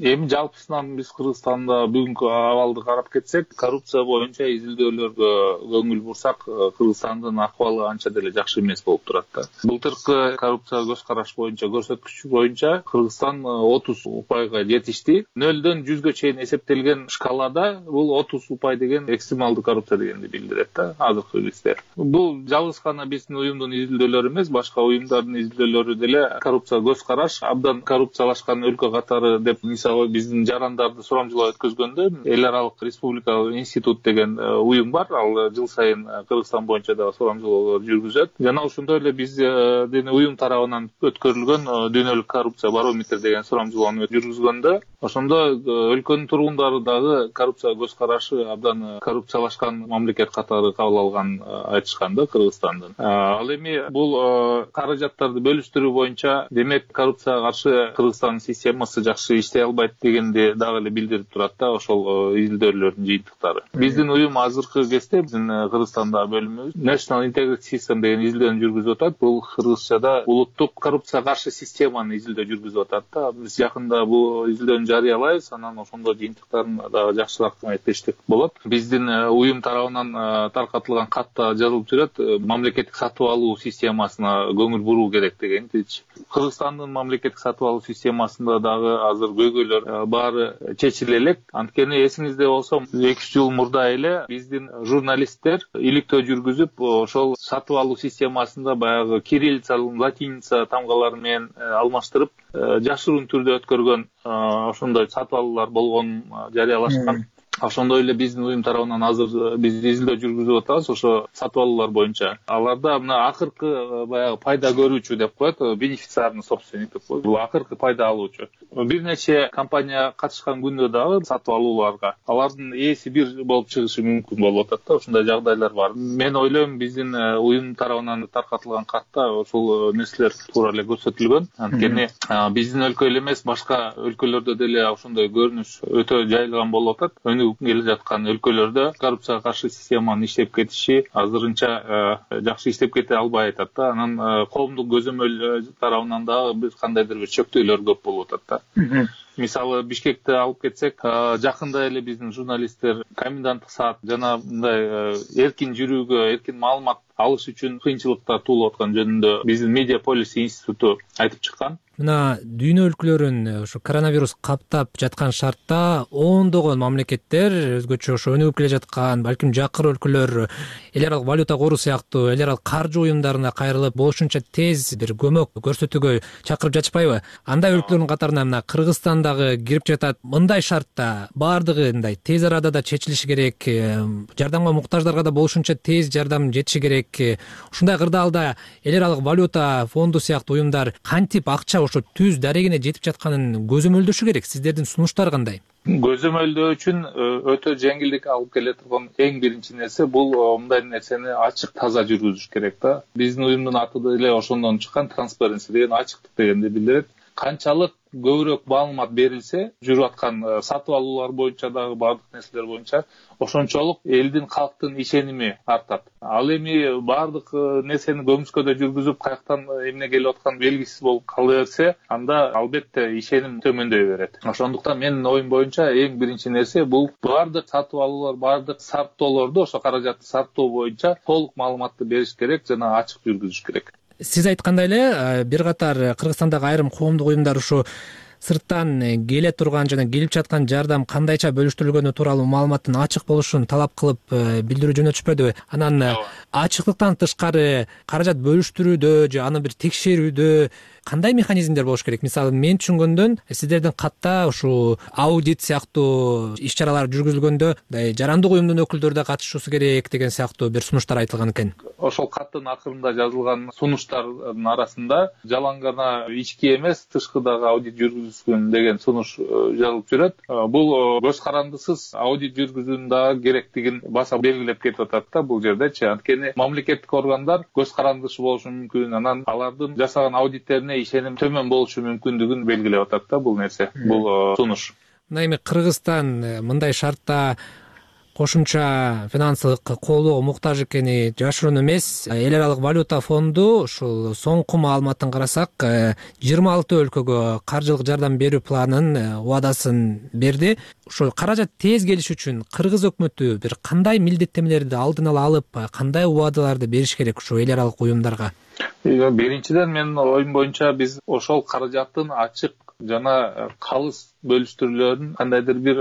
Эми жалпысынан биз Кыргызстанда бүгүнкү абалды карап кетсек, коррупция боюнча изилдөөлөргө көңүл бурсак, Кыргызстандын акыбалы анча деле жакшы эмес болуп турат да. Былтыркы коррупция көз караш боюнча көрсөткүч боюнча Кыргызстан 30 упайга жетишти. 0-дөн 100гө чейин эсептелген шкалада бул 30 упай деген экстремалдуу коррупция дегенди билдирет да, азыркы издер. Бул жалгыз гана биздин уюмдун изилдөөлөрү эмес, башка уюмдардын изилдөөлөрү деле коррупция көз караш абдан коррупциялашкан өлкө катары деп мисалы биздин жарандарды сурамжылоо өткөзгөндө эл аралык республикалык институт деген уюм бар. Ал жыл сайын Кыргызстан боюнча дагы сурамжылоолор жүргүзөт. Жана ошондой эле биздин уюм тарабынан өткөрүлгөн дүйнөлүк коррупция барометр деген сурамжылоону жүргүзгөндө ошондо өлкөнүн тургундары дагы коррупция көз карашы абдан коррупциялашкан мамлекет катары кабыл алган айтышкан да Кыргызстандын. Ал эми бул каражаттарды бөлүштүрүү боюнча демек коррупцияга каршы Кыргызстандын системасы жакшы иштей албайт дегенди дагы эле билдирип турат да ошол изилдөөлөрдүн жыйынтыктары. Биздин уюм азыркы кезде биздин Кыргызстанда бөлүмүбүз National Integrity System деген изилдөөнү жүргүзүп атат. Бул кыргызчада улуттук коррупцияга каршы системаны изилдөө жүргүзүп атат да. Биз жакында бул изилдөөнү жарыялайбыз, анан ошондо жыйынтыктарын дагы жакшыраак айтыштык болот. Биздин уюм тарабынан таркатылган катта жазылып жүрөт, мамлекеттик сатып алуу системасына көңүл буруу керек дегенчи. Кыргызстандын мамлекеттик сатып алуу системасында дагы азыр көйгөйлөр баары чечиле элек. Анткени эсиңизде болсо 2 жыл мурда эле биздин журналисттер иликтөө жүргүзүп, ошол сатып алуу системасында баягы кириллица, латиница тамгалары менен алмаштырып, жашыруун түрдө өткөргөн ошондой сатып алуулар болгонун жарыялашкан. Ошондой эле биздин уюм тарабынан азыр биз изилдөө жүргүзүп атабыз ошо сатып алуулар боюнча. Аларда мына акыркы баягы пайда көрүүчү деп коет, бенефициарный собственник деп коет. Бул акыркы пайда алуучу. Бир нече компания катышкан күндө дагы сатып алууларга алардын ээси бир болуп чыгышы мүмкүн болуп атат да, ошондой жагдайлар бар. Мен ойлойм биздин уюм тарабынан таркатылган катта ошол нерселер туура эле көрсөтүлгөн. Анткени биздин өлкө эле эмес, башка өлкөлөрдө деле ошондой көрүнүш өтө жайылган болуп атат. Келе жаткан өлкөлөрдө коррупцияга каршы системанын иштеп кетиши азырынча жакшы иштеп кете албай атат да. Анан коомдук көзөмөл тарабынан дагы бир кандайдыр бир чөктөөлөр көп болуп атат да. Мисалы Бишкекти алып кетсек, жакында эле биздин журналисттер коменданттык саат жана мындай эркин жүрүүгө, эркин маалымат алыш үчүн кыйынчылыктар туулуп аткан жөнүндө биздин Media Policy институту айтып чыккан. Мына дүйнө өлкөлөрүн ошо коронавирус каптап жаткан шартта ондогон мамлекеттер өзгөчө ошо өнүгүп келе жаткан, балким жакыр өлкөлөр эл аралык валюта кору сыяктуу эл аралык каржы уюмдарына кайрылып болушунча тез бир көмөк көрсөтүүгө чакырып жатышпайбы? Андай өлкөлөрдүн катарына мына Кыргызстан дагы кирип жатат. Мындай шартта баардыгы мындай тез арада да чечилиши керек, жардамга муктаждарга да болушунча тез жардам жетиши керек. Ушундай кырдаалда эл аралык валюта фонду сыяктуу уюмдар кантип акча ошо түз дарегине жетип жатканын көзөмөлдөшү керек? Сиздердин сунуштар кандай? Көзөмөлдөө үчүн өтө жеңилдик алып келе турган эң биринчи нерсе бул мындай нерсени ачык таза жүргүзүш керек да. Биздин уюмдун аты деле ошондон чыккан, transparency деген ачыктык дегенди билдирет. Канчалык көбүрөөк маалымат берилсе, жүрүп аткан сатып алуулар боюнча дагы баардык нерселер боюнча ошончолук элдин, калктын ишеними артат. Ал эми баардык нерсени көмүскөдө жүргүзүп, каяктан эмне келип аткан белгисиз болуп кала берсе, анда албетте ишеним төмөндөй берет. Ошондуктан менин оюм боюнча эң биринчи нерсе бул баардык сатып алуулар, баардык сарптоолорду ошо каражатты сарптоо боюнча толук маалыматты бериш керек жана ачык жүргүзүш керек. Сиз айткандай эле бир катар Кыргызстандагы айрым коомдук уюмдар ушу сырттан келе турган жана келип жаткан жардам кандайча бөлүштүрүлгөнү тууралуу маалыматтын ачык болушун талап кылып билдирүү жөнөтүшпөдүбү? Анан ачыктыктан тышкары каражат бөлүштүрүүдө же аны бир текшерүүдө кандай механизмдер болуш керек? Мисалы, мен түшүнгөндөн сиздердин катта ушул аудит сыяктуу иш-чаралар жүргүзүлгөндө жарандык уюмдун өкүлдөрү да катышуусу керек деген сыяктуу бир сунуштар айтылган экен. Ошол каттын акырында жазылган сунуштардын арасында жалаң гана ички эмес, тышкыдагы аудит жүргүзүлсүн деген сунуш жазылып жүрөт. Бул көз карандысыз аудит жүргүзүүнүн дагы керектигин баса белгилеп кетип атат да бул жердечи. Анткени мамлекеттик органдар көз карандышы болушу мүмкүн, анан алардын жасаган аудиттерине ишеним төмөн болушу мүмкүндүгүн белгилеп атат да бул нерсе, бул сунуш. Мына эми Кыргызстан мындай шартта кошумча финансылык колоого муктаж экени жашыруун эмес. Эл аралык валюта фонду ушул соңку маалыматтан карасак 26 өлкөгө каржылык жардам берүү планын убадасын берди. Ушул каражат тез келиш үчүн кыргыз өкмөтү бир кандай милдеттенмелерди алдын ала алып, кандай убадаларды бериш керек ушул эл аралык уюмдарга? Биринчиден менин оюм боюнча биз ошол каражаттын ачык жана калыс бөлүштүрүүлөрүн кандайдыр бир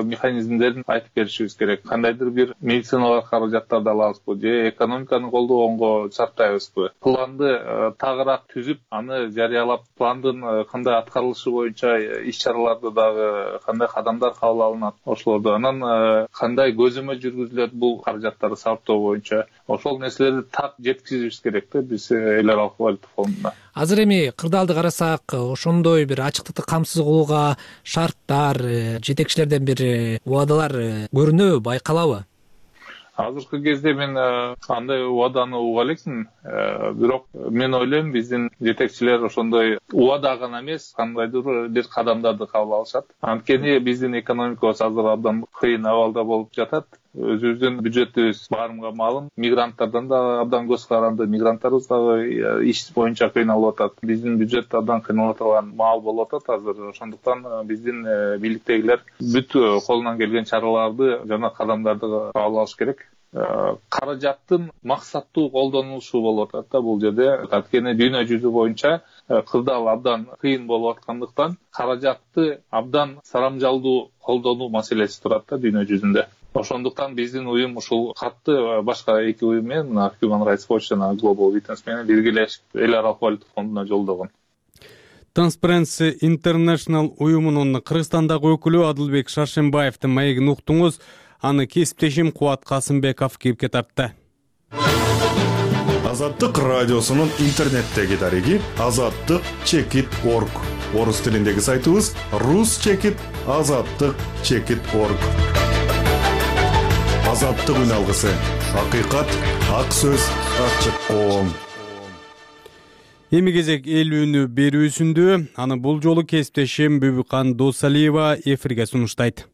механизмдерин айтып беришибиз керек. Кандайдыр бир медициналык каражаттарды алабызбы же экономиканы колдогонго сарптайбызбы? Планды тагыраак түзүп, аны жарыялап, пландын кандай аткарылышы боюнча иш-чараларды дагы кандай кадамдар кабыл алынат ошолорду, анан кандай көзөмөл жүргүзүлөт бул каражаттарды сарптоо боюнча, ошол нерселерди так жеткизишибиз керек да биз эл аралык валюта фондуна. Азыр эми кырдаалды карасак, ошондой бир ачыктыкты камсыз кылууга шарттар, жетекчилерден бир убадалар көрүнөбү, байкалабы? Азыркы кезде мен андай убаданы уга элекмин, бирок мен ойлойм биздин жетекчилер ошондой убада гана эмес, кандайдыр бир кадамдарды кабыл алышат. Анткени биздин экономикабыз азыр абдан кыйын абалда болуп жатат. Өзүбүздүн бюджетибиз баарымга маалым, мигранттардан да абдан көз каранды, мигранттарыбыз дагы иш боюнча кыйналып атат. Биздин бюджет абдан кыйналып аткан маал болуп атат азыр. Ошондуктан биздин бийликтегилер бүт колунан келген чараларды жана кадамдарды кабыл алыш керек. Каражаттын максаттуу колдонулушу болуп атат да бул жерде. Анткени дүйнө жүзү боюнча кырдаал абдан кыйын болуп аткандыктан каражатты абдан сарамжалдуу колдонуу маселеси турат да дүйнө жүзүндө. Ошондуктан биздин уюм ушул катты башка эки уюм менен Human Rights Watch жана Global Witness менен биргелешип эл аралык валюта фондуна жолдогон. Transparency International уюмунун Кыргызстандагы өкүлү Адылбек Шаршембаевдин маегин уктуңуз. Аны кесиптешим Кубат Касымбеков кепке тартты. Азаттык радиосунун интернеттеги дареги azattik.org. Орус тилиндеги сайтыбыз rus.azattik.org. Азаттык үн алгысы. Акыйкат, ак сөз, ачык коом. Эми кезек эл үнү берүүсүндө. Аны бул жолу кесиптешим Бүбүкан Досалиева эфирге сунуштайт.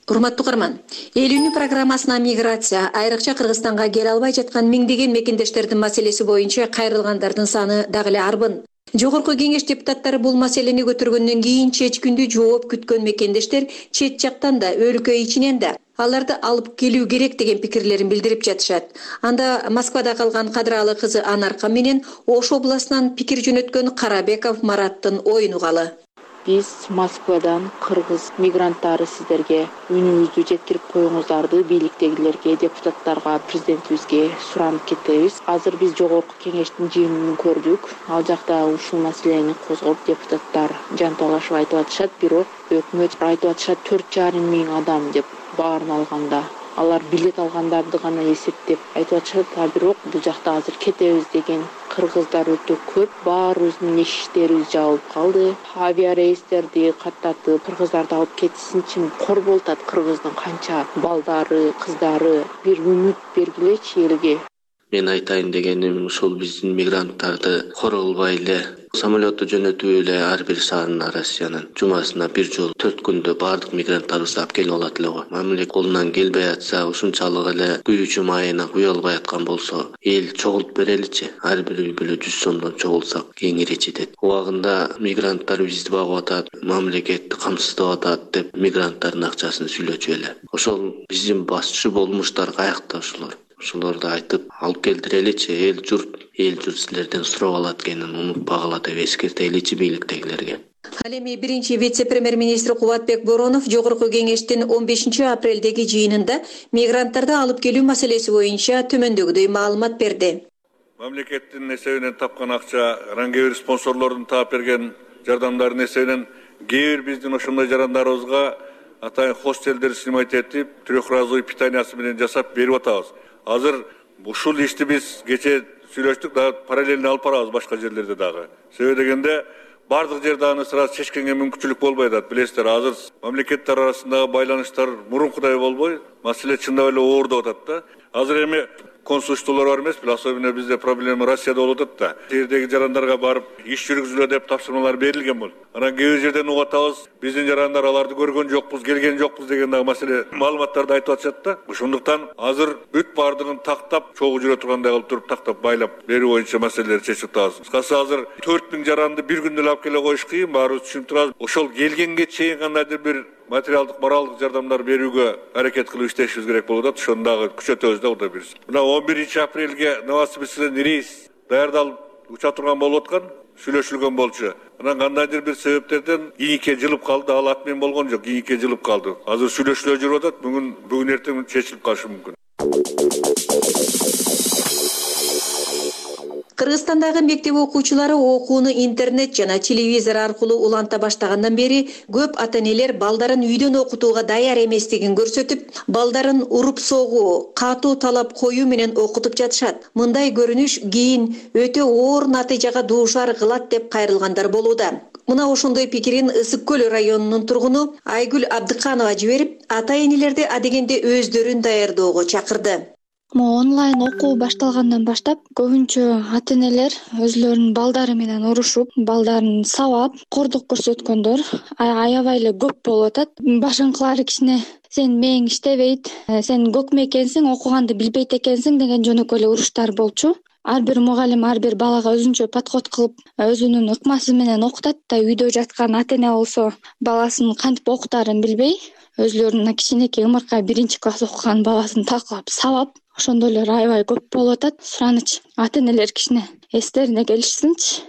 Урматтуу каарман, эл үнү программасына миграция, айрыкча Кыргызстанга келе албай жаткан миңдеген мекендештердин маселеси боюнча кайрылгандардын саны дагы эле арбын. Жогорку кеңеш депутаттары бул маселени көтөргөндөн кийин чечкиндүү жооп күткөн мекендештер чет жактан да, өлкө ичинен да аларды алып келүү керек деген пикирлерин билдирип жатышат. Анда Москвада калган кадыралы кызы Анарка менен Ош областынан пикир жөнөткөн Карабеков Мараттын оюн угалы. Биз Москвадан кыргыз мигранттары сиздерге үнүбүздү жеткирип коюңуздарды бийликтегилерге, депутаттарга, президентибизге суранып кетебиз. Азыр биз жогорку кеңештин жыйынын көрдүк. Ал жакта ушул маселени козгоп депутаттар жан талашып айтып атышат, бирок өкмөт айтып атышат 4,5 миң адам деп баарын алганда. Алар билет алгандарды гана эсептеп айтып атышат, бирок бул жакта азыр кетебиз деген кыргыздар өтө көп. Баарыбыздын эшиктерибиз жабылып калды. Авиарейстерди каттатып, кыргыздарды алып кетишинчи кор болуп атат. Кыргыздын канча балдары, кыздары, бир үмүт бергилечи элге. Мен айтайын дегеним ушул биздин мигранттарды кор кылбай эле самолетту жөнөтүп эле ар бир шаарына Россиянын жумасына бир жолу 4 күндө баардык мигранттарыбызды алып келип алат эле го. Мамлекет колунан келбей атса, ушунчалык эле күйүүчү майына куя албай аткан болсо, эл чогултуп береличи. Ар бир үй бүлө 100 сомдон чогулсак кеңири жетет. Убагында мигранттар бизди багып атат, мамлекетти камсыздап атат деп мигранттардын акчасын сүйлөчү эле. Ошол биздин башчы болмуштар каякта ошолор? Ошолорду айтып алып келдиреличи, эл журт силерден сурап алат экенин унутпагыла деп эскертеличи бийликтегилерге. Ал эми биринчи вице-премьер-министр Кубатбек Боронов жогорку кеңештин 15 апрелдеги жыйынында мигранттарды алып келүү маселеси боюнча төмөндөгүдөй маалымат берди. Мамлекеттин эсебинен тапкан акча, кээ бир спонсорлордун таап берген жардамдардын эсебинен кээ бир биздин ошондой жарандарыбызга атайын хостелдер снимать этип, трехразовый питаниясы менен жасап берип атабыз. Азыр ушул ишти биз кече сүйлөштүк, да параллельно алып барабыз башка жерлерде дагы. Себеби дегенде бардык жерде аны сразу чечкенге мүмкүнчүлүк болбой атат. Билесиздер, азыр мамлекеттер арасындагы байланыштар мурункудай болбой, маселе чындап эле оордоп атат да. Азыр эми консулчулар бар эмес беле, особенно бизде проблема Россияда болуп атат да. Жердеги жарандарга барып иш жүргүзүлө деп тапшырмалар берилген бул. Анан кээ бир жерден угуп атабыз, биздин жарандар аларды көргөн жокпуз, келген жокпуз деген дагы маселе маалыматтарды айтып атышат да. Ошондуктан азыр бүт баардыгын тактап, чогуу жүрө тургандай кылып туруп тактап байлап берүү боюнча маселелерди чечип атабыз. Кыскасы азыр 4000 жаранды бир күндө эле алып келе коюш кыйын, баарыбыз түшүнүп турабыз. Ошол келгенге чейин кандайдыр бир материалдык, моралдык жардамдар берүүгө аракет кылып иштешибиз керек болуп атат. Ошону дагы күчөтөбүз да Кудай буйрса. Мына 11 апрелге Новосибирскиден рейс даярдалып уча турган болуп аткан, сүйлөшүлгөн болчу. Анан кандайдыр бир себептерден кийинке жылып калды, ал ат менен болгон жок, кийинке жылып калды. Азыр сүйлөшүүлөр жүрүп атат, бүгүн эртең чечилип калышы мүмкүн. Кыргызстандагы мектеп окуучулары окууну интернет жана телевизор аркылуу уланта баштагандан бери көп ата-энелер балдарын үйдөн окутууга даяр эместигин көрсөтүп, балдарын уруп согуу, катуу талап коюу менен окутуп жатышат. Мындай көрүнүш кийин өтө оор натыйжага дуушар кылат деп кайрылгандар болууда. Мына ошондой пикирин Ысык көл районунун тургуну Айгүл Абдыканова жиберип, ата-энелерди адегенде өздөрүн даярдоого чакырды. Онлайн окуу башталгандан баштап көбүнчө ата-энелер өзлөрүнүн балдары менен урушуп, балдарын сабап, кордук көрсөткөндөр аябай эле көп болуп атат. Башыңкылары кичине сен мээң иштебейт, сен көкмө экенсиң, окуганды билбейт экенсиң деген жөнөкөй эле уруштар болчу. Ар бир мугалим ар бир балага өзүнчө подход кылып, өзүнүн ыкмасы менен окутат да, үйдө жаткан ата-эне болсо баласын кантип окутаарын билбей, өзлөрүнүн кичинекей ымыркай 1-класс окуган баласын такылап сабап, ошондойлор аябай көп болуп атат. Сураныч ата-энелер кичине эстерине келишсинчи.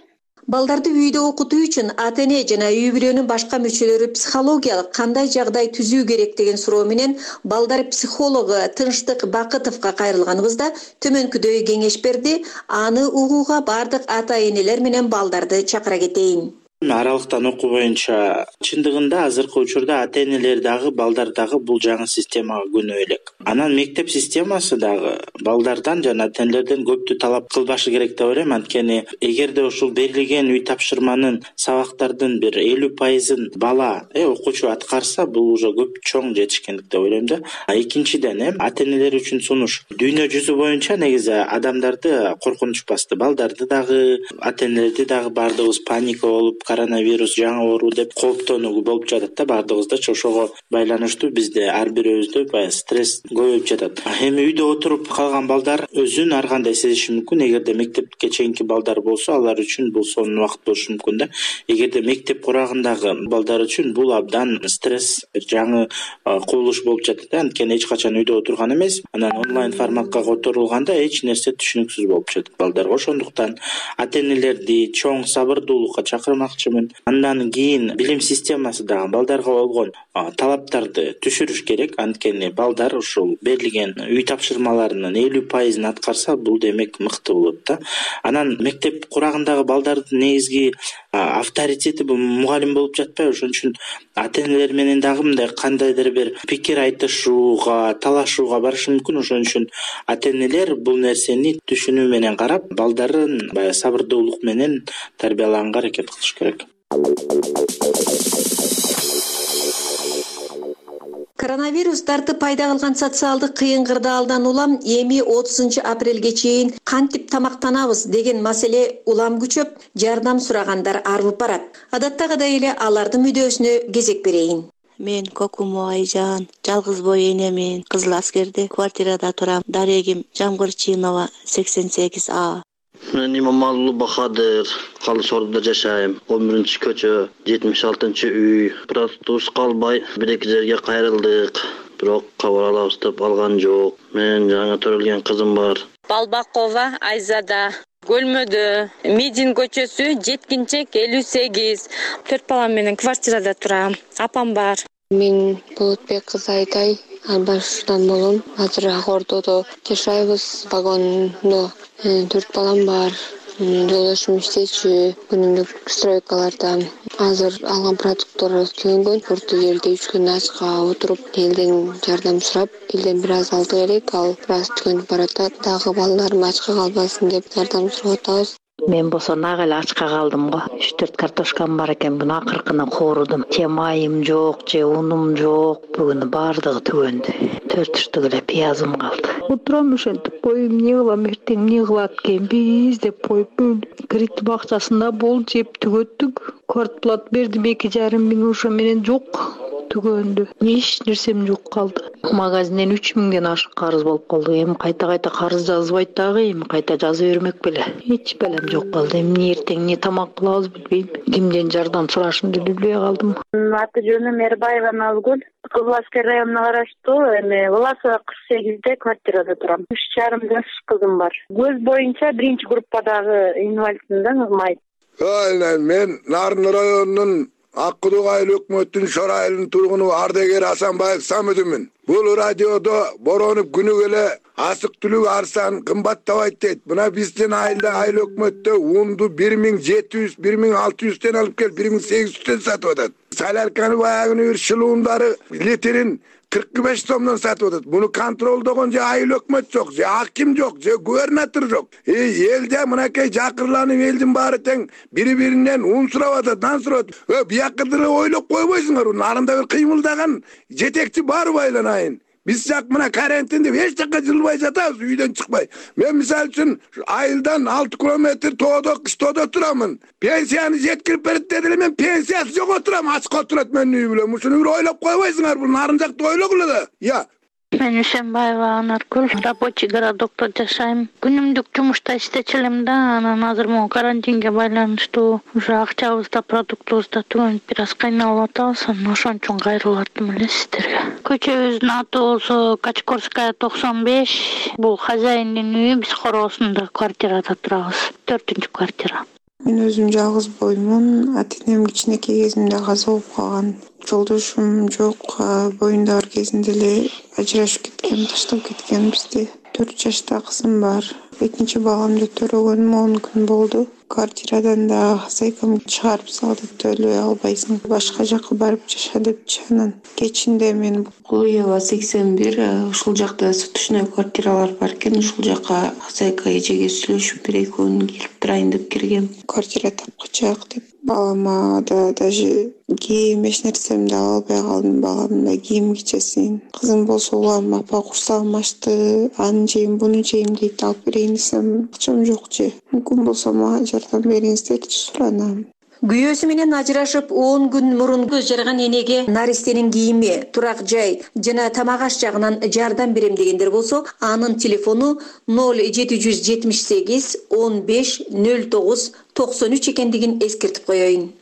Балдарды үйдө окутуу үчүн ата-эне жана үй бүлөнүн башка мүчөлөрү психологиялык кандай жагдай түзүү керек деген суроо менен балдар психологу Тынчтык Бакытовго кайрылганыбызда төмөнкүдөй кеңеш берди. Аны угууга бардык ата-энелер менен балдарды чакыра кетейин. Аралыктан окуу боюнча чындыгында азыркы учурда ата-энелер дагы балдар дагы бул жаңы системага көнүп элек. Анан мектеп системасы дагы балдардан жана ата-энелерден көптү талап кылбашы керек деп ойлойм. Анткени эгерде ушул берилген үй тапшырманын сабактардын бир 50%ын бала окуучу аткарса, бул уже көп чоң жетишкендик деп ойлойм да. Экинчиден ата-энелер үчүн сунуш. Дүйнө жүзү боюнча негизи адамдарды коркунуч басты. Балдарды дагы, ата-энелерди дагы баардыгыбыз паника болуп, коронавирус жаңы оору деп кооптонуу болуп жатат да баардыгыбызда. Ошого байланыштуу бизде ар бирөөбүздө баягы стресс көбөйүп жатат. Эми үйдө отуруп калган балдар өзүн ар кандай сезиши мүмкүн. Эгерде мектепке чейинки балдар болсо, алар үчүн бул сонун убакыт болушу мүмкүн да. Эгерде мектеп курагындагы балдар үчүн бул абдан стресс, жаңы кубулуш болуп жатат да. Анткени эч качан үйдө отурган эмес. Анан онлайн форматка которулганда эч нерсе түшүнүксүз болуп жатат балдарга. Ошондуктан ата-энелерди чоң сабырдуулукка чакырмак. Андан кийин билим системасы дагы балдарга болгон талаптарды түшүрүш керек. Анткени балдар ушул берилген үй тапшырмаларынын 50%ын аткарса, бул демек мыкты болот да. Анан мектеп курагындагы балдардын негизги авторитети бул мугалим болуп жатпайбы? Ошон үчүн ата-энелер менен дагы мындай кандайдыр бир пикир айтышууга, талашууга барышы мүмкүн. Ошон үчүн ата-энелер бул нерсени түшүнүү менен карап, балдарын баягы сабырдуулук менен тарбиялаганга аракет кылыш керек. Коронавирус тартып пайда кылган социалдык кыйын кырдаалдан улам эми 30 апрелге чейин кантип тамактанабыз деген маселе улам күчөп, жардам сурагандар арбып барат. Адаттагыдай эле алардын мүдөөсүнө кезек берейин. Мен Кокумо Айжан, жалгыз бой энемин, Кызыл Аскерде квартирада турам. Дарегим Жамгырчинова 88А. Мен Имамалуу Бахадыр, Калыс Ордуда жашайм. 11-көчө, 76-үй. Протуз калбай бир-эки жерге кайрылдык. Бирок кабар алабыз деп алган жок. Мен жаңы төрөлгөн кызым бар. Балбакова Айзада. Көлмөдө, Медин көчөсү, жеткинчек 58. 4 балам менен квартирада турам. Апам бар. Мен Болотбек кызы Айтай, Арбашдан болом. Азыр Ак Ордодо жашайбыз. Вагондо 4 балам бар. Жолдошум иштечү, күнүмдүк стройкаларда. Азыр алган продукттар күйөнгөн. Урту жерде 3 күн ачка отуруп, элден жардам сурап, элден бир аз алдык элек, ал бир аз түгөнүп баратат. Дагы балдарым ачка калбасын деп жардам сурап атабыз. Мен болсо нак эле ачка калдым го. 3-4 картошкам бар экен, буну акыркына коорудум. Же майым жок, же унум жок. Бүгүн баардыгы түгөндү. 4 штук эле пиязым калды. Отурам ошентип, боюм эмне кылам, эртең эмне кылат экенбиз деп коюп кредит бакчасында бол жеп түгөттүк. Квартплат бердим 2,5 миң, ошо менен жок. Түгөндү. Эч нерсем жок калды. Магазинден 3 миңден ашык карыз болуп калды. Эми кайта карыз жазбайт дагы, эми кайта жаза бермек беле. Эч белем жок калды. Эмне эртең эмне тамак кылабыз билбейм. Кимден жардам сурашымды билбей калдым. Аты жөнүм Мербаева Назгүл. Кызыл Аскер районуна караштуу эми Власова 48-де квартирада турам. 3,5 жаш кызым бар. Көз боюнча 1-группадагы инвалидмин, ыкмайт. Мен Нарын районунун Аккудук айыл өкмөттүн Шор айылынын тургуну Ардегер Асанбаев Самыдымын. Бул радиодо боронуп күнү келе асык түлүк арсан кымбаттабайт дейт. Мына биздин айылда айыл өкмөттө унду 1700, 1600тен алып кел 1800тен сатып атат. Солярканы баягы бир шылуундары литрин 45 сомдон сатып атат. Буну контролдогон же айыл өкмөт жок, же аким жок, же губернатор жок. Элде мынакей жакырланып элдин баары тең бири-биринен ун сурап атат, нан сурап атат. Биякыдыр ойлоп койбойсуңар. Нарында бир кыймылдаган жетекчи барбы айланайын. Биз жак мына карантиндеп эч жакка жылбай жатабыз, үйдөн чыкпай. Мен мисалы үчүн айылдан 6 километр тоодо, кыштоодо турамын. Пенсияны жеткирип берет деди эле, мен пенсиясы жок отурам, ачка отурат менин үй билем. Ушуну бир ойлоп койбойсуңар, бул нарын жакты ойлогула да. Я. Мен Ишенбаева Анаркүл, рабочий городокто жашайм. Күнүмдүк жумушта иштечилем да, анан азыр могу карантинге байланыштуу уже акчабызда, продуктубузда түгөнүп бир аз кыйналып атабыз, анан ошон үчүн кайрылып аттым эле сиздерге. Көчөбүздүн атыбызы Качкорская 95. Бул хозяиндин үйү, биз короосунда квартирада турабыз. 4-квартира. Мен өзүм жалгыз боюмун. Ата-энем кичинекей кезимде каза болуп калган. Жолдошум жок, боюнда бар кезинде эле ажырашып кеткен, таштап кеткен бизди. 4 жашта кызым бар. Экинчи баламды төрөгөнүм 10 күн болду. Квартирадан да хозяйкам чыгарып салды, төлөй албайсың, башка жакка барып жаша депчи. Анан кечинде мен Кулуева 81, ушул жакта суточный квартиралар бар экен, ушул жакка хозяйка эжеге сүйлөшүп бир 2 күн келип турайын деп киргем. Квартира тапкычак деп балама да даже кийим эч нерсемди ала албай калдым, баламдын да кийим кичесин. Кызым болсо улам апа курсагым ачты, аны жейм, буну жейм дейт, алып берейин десем акчам жок же. Мүмкүн болсо мага жардам бериңиздерчи, суранам. Күйөөсү менен ажырашып 10 күн мурун көз жарган энеге наристенин кийими, турак жай жана тамак аш жагынан жардам берем дегендер болсо, анын телефону 0778 15 09 93 экендигин эскертип коеюн.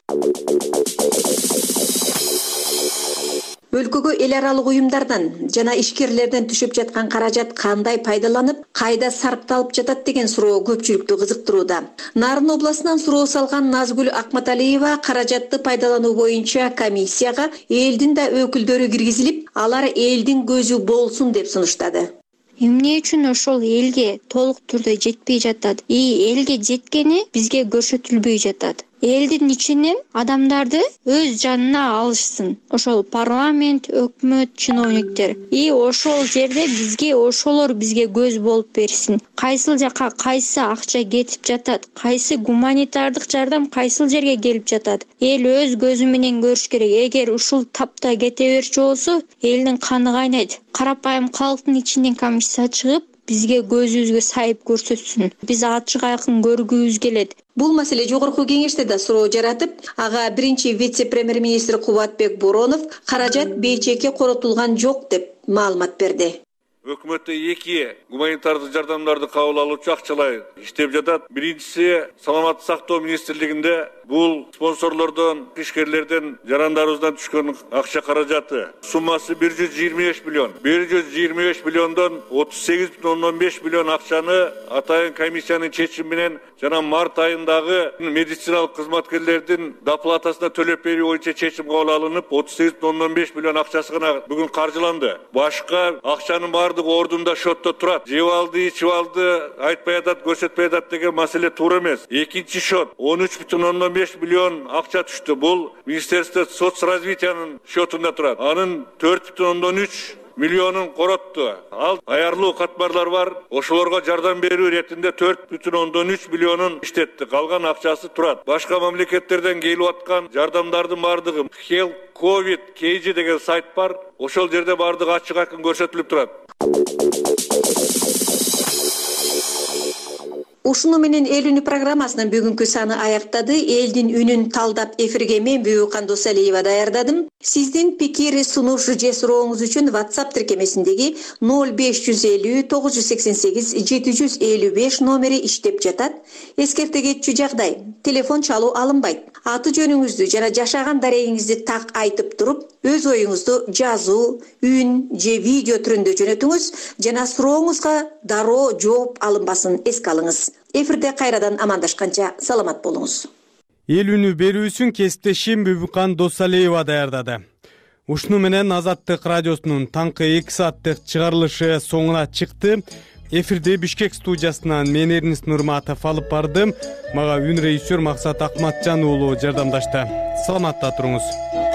Өлкөгө эл аралык уюмдардан жана ишкерлерден түшүп жаткан каражат кандай пайдаланып, кайда сарпталып жатат деген суроо көпчүлүктү кызыктырууда. Нарын областынан суроо салган Назгүл Акматалиева каражатты пайдалануу боюнча комиссияга элдин да өкүлдөрү киргизилип, алар элдин көзү болсун деп сунуштады. Эмне үчүн ошол элге толук түрдө жетпей жатат? Элге жеткени бизге көрсөтүлбөй жатат. Элдин ичинен адамдарды өз жанына алышсын. Ошол парламент, өкмөт, чиновниктер. Ошол жерде бизге ошолор бизге көз болуп берсин. Кайсыл жака кайсы акча кетип жатат, кайсы гуманитардык жардам кайсыл жерге келип жатат. Эл өз көзү менен көрүш керек. Эгер ушул тапта кете берчү болсо, элдин каны кайнайт. Карапайым калктын ичинен комиссия чыгып, бизге көзүбүзгө сайып көрсөтсүн. Биз ачык айкын көргүбүз келет. Бул маселе жогорку кеңеште да суроо жаратып, ага биринчи вице-премьер-министр Кубатбек Боронов каражат бейчекке коротулган жок деп маалымат берди. Өкмөттө 2 гуманитардык жардамдарды кабыл алуучу акчалай иштеп жатат. Биринчиси Саламаттык сактоо министрлигинде бул спонсорлордон, ишкерлерден, жарандарыбыздан түшкөн акча каражаты. Суммасы 125 миллион. 125 миллиондон 38,5 миллион акчаны атайын комиссиянын чечими менен жана март айындагы медициналык кызматкерлердин доплатасына төлөп берүү боюнча чечим кабыл алынып, 38,5 миллион акчасы гана бүгүн каржыланды. Башка акчанын бардыгы ордунда шотто турат. Жеп алды, ичип алды, айтпай атат, көрсөтпөй атат деген маселе туура эмес. Экинчи шот 13,5 миллион акча түштү. Бул Министерство соцразвитиянын шотунда турат. Анын 4,3 миллионун коротту. Ал аярлуу катмарлар бар. Ошолорго жардам берүү иретинде 4,3 миллионун иштетти. Калган акчасы турат. Башка мамлекеттерден келип аткан жардамдардын бардыгы Health COVID KG деген сайт бар. Ошол жерде бардыгы ачык айкын көрсөтүлүп турат. Ушуну менен эл үнү программасынын бүгүнкү саны аяктады. Элдин үнүн талдап эфирге мен Бүбүкан Досалиева даярдадым. Сиздин пикир, сунуш же сурооңуз үчүн WhatsApp тиркемесиндеги 0550 988 755 номери иштеп жатат. Эскерте кетчү жагдай, телефон чалуу алынбайт. Аты жөнүңүздү жана жашаган дарегиңизди так айтып туруп, өз оюңузду жазуу, үн же видео түрүндө жөнөтүңүз жана сурооңузга дароо жооп алынбасын эске алыңыз. Эфирде кайрадан амандашканча саламат болуңуз. Эл үнү берүүсүн кесиптешим Бүбүкан Досалиева даярдады. Ушуну менен Азаттык радиосунун таңкы 2 сааттык чыгарылышы соңуна чыкты. Эфирде Бишкек студиясынан мен Эрнис Нурматов алып бардым. Мага үн режиссер Максат Акматжан уулу жардамдашты. Саламатта туруңуз.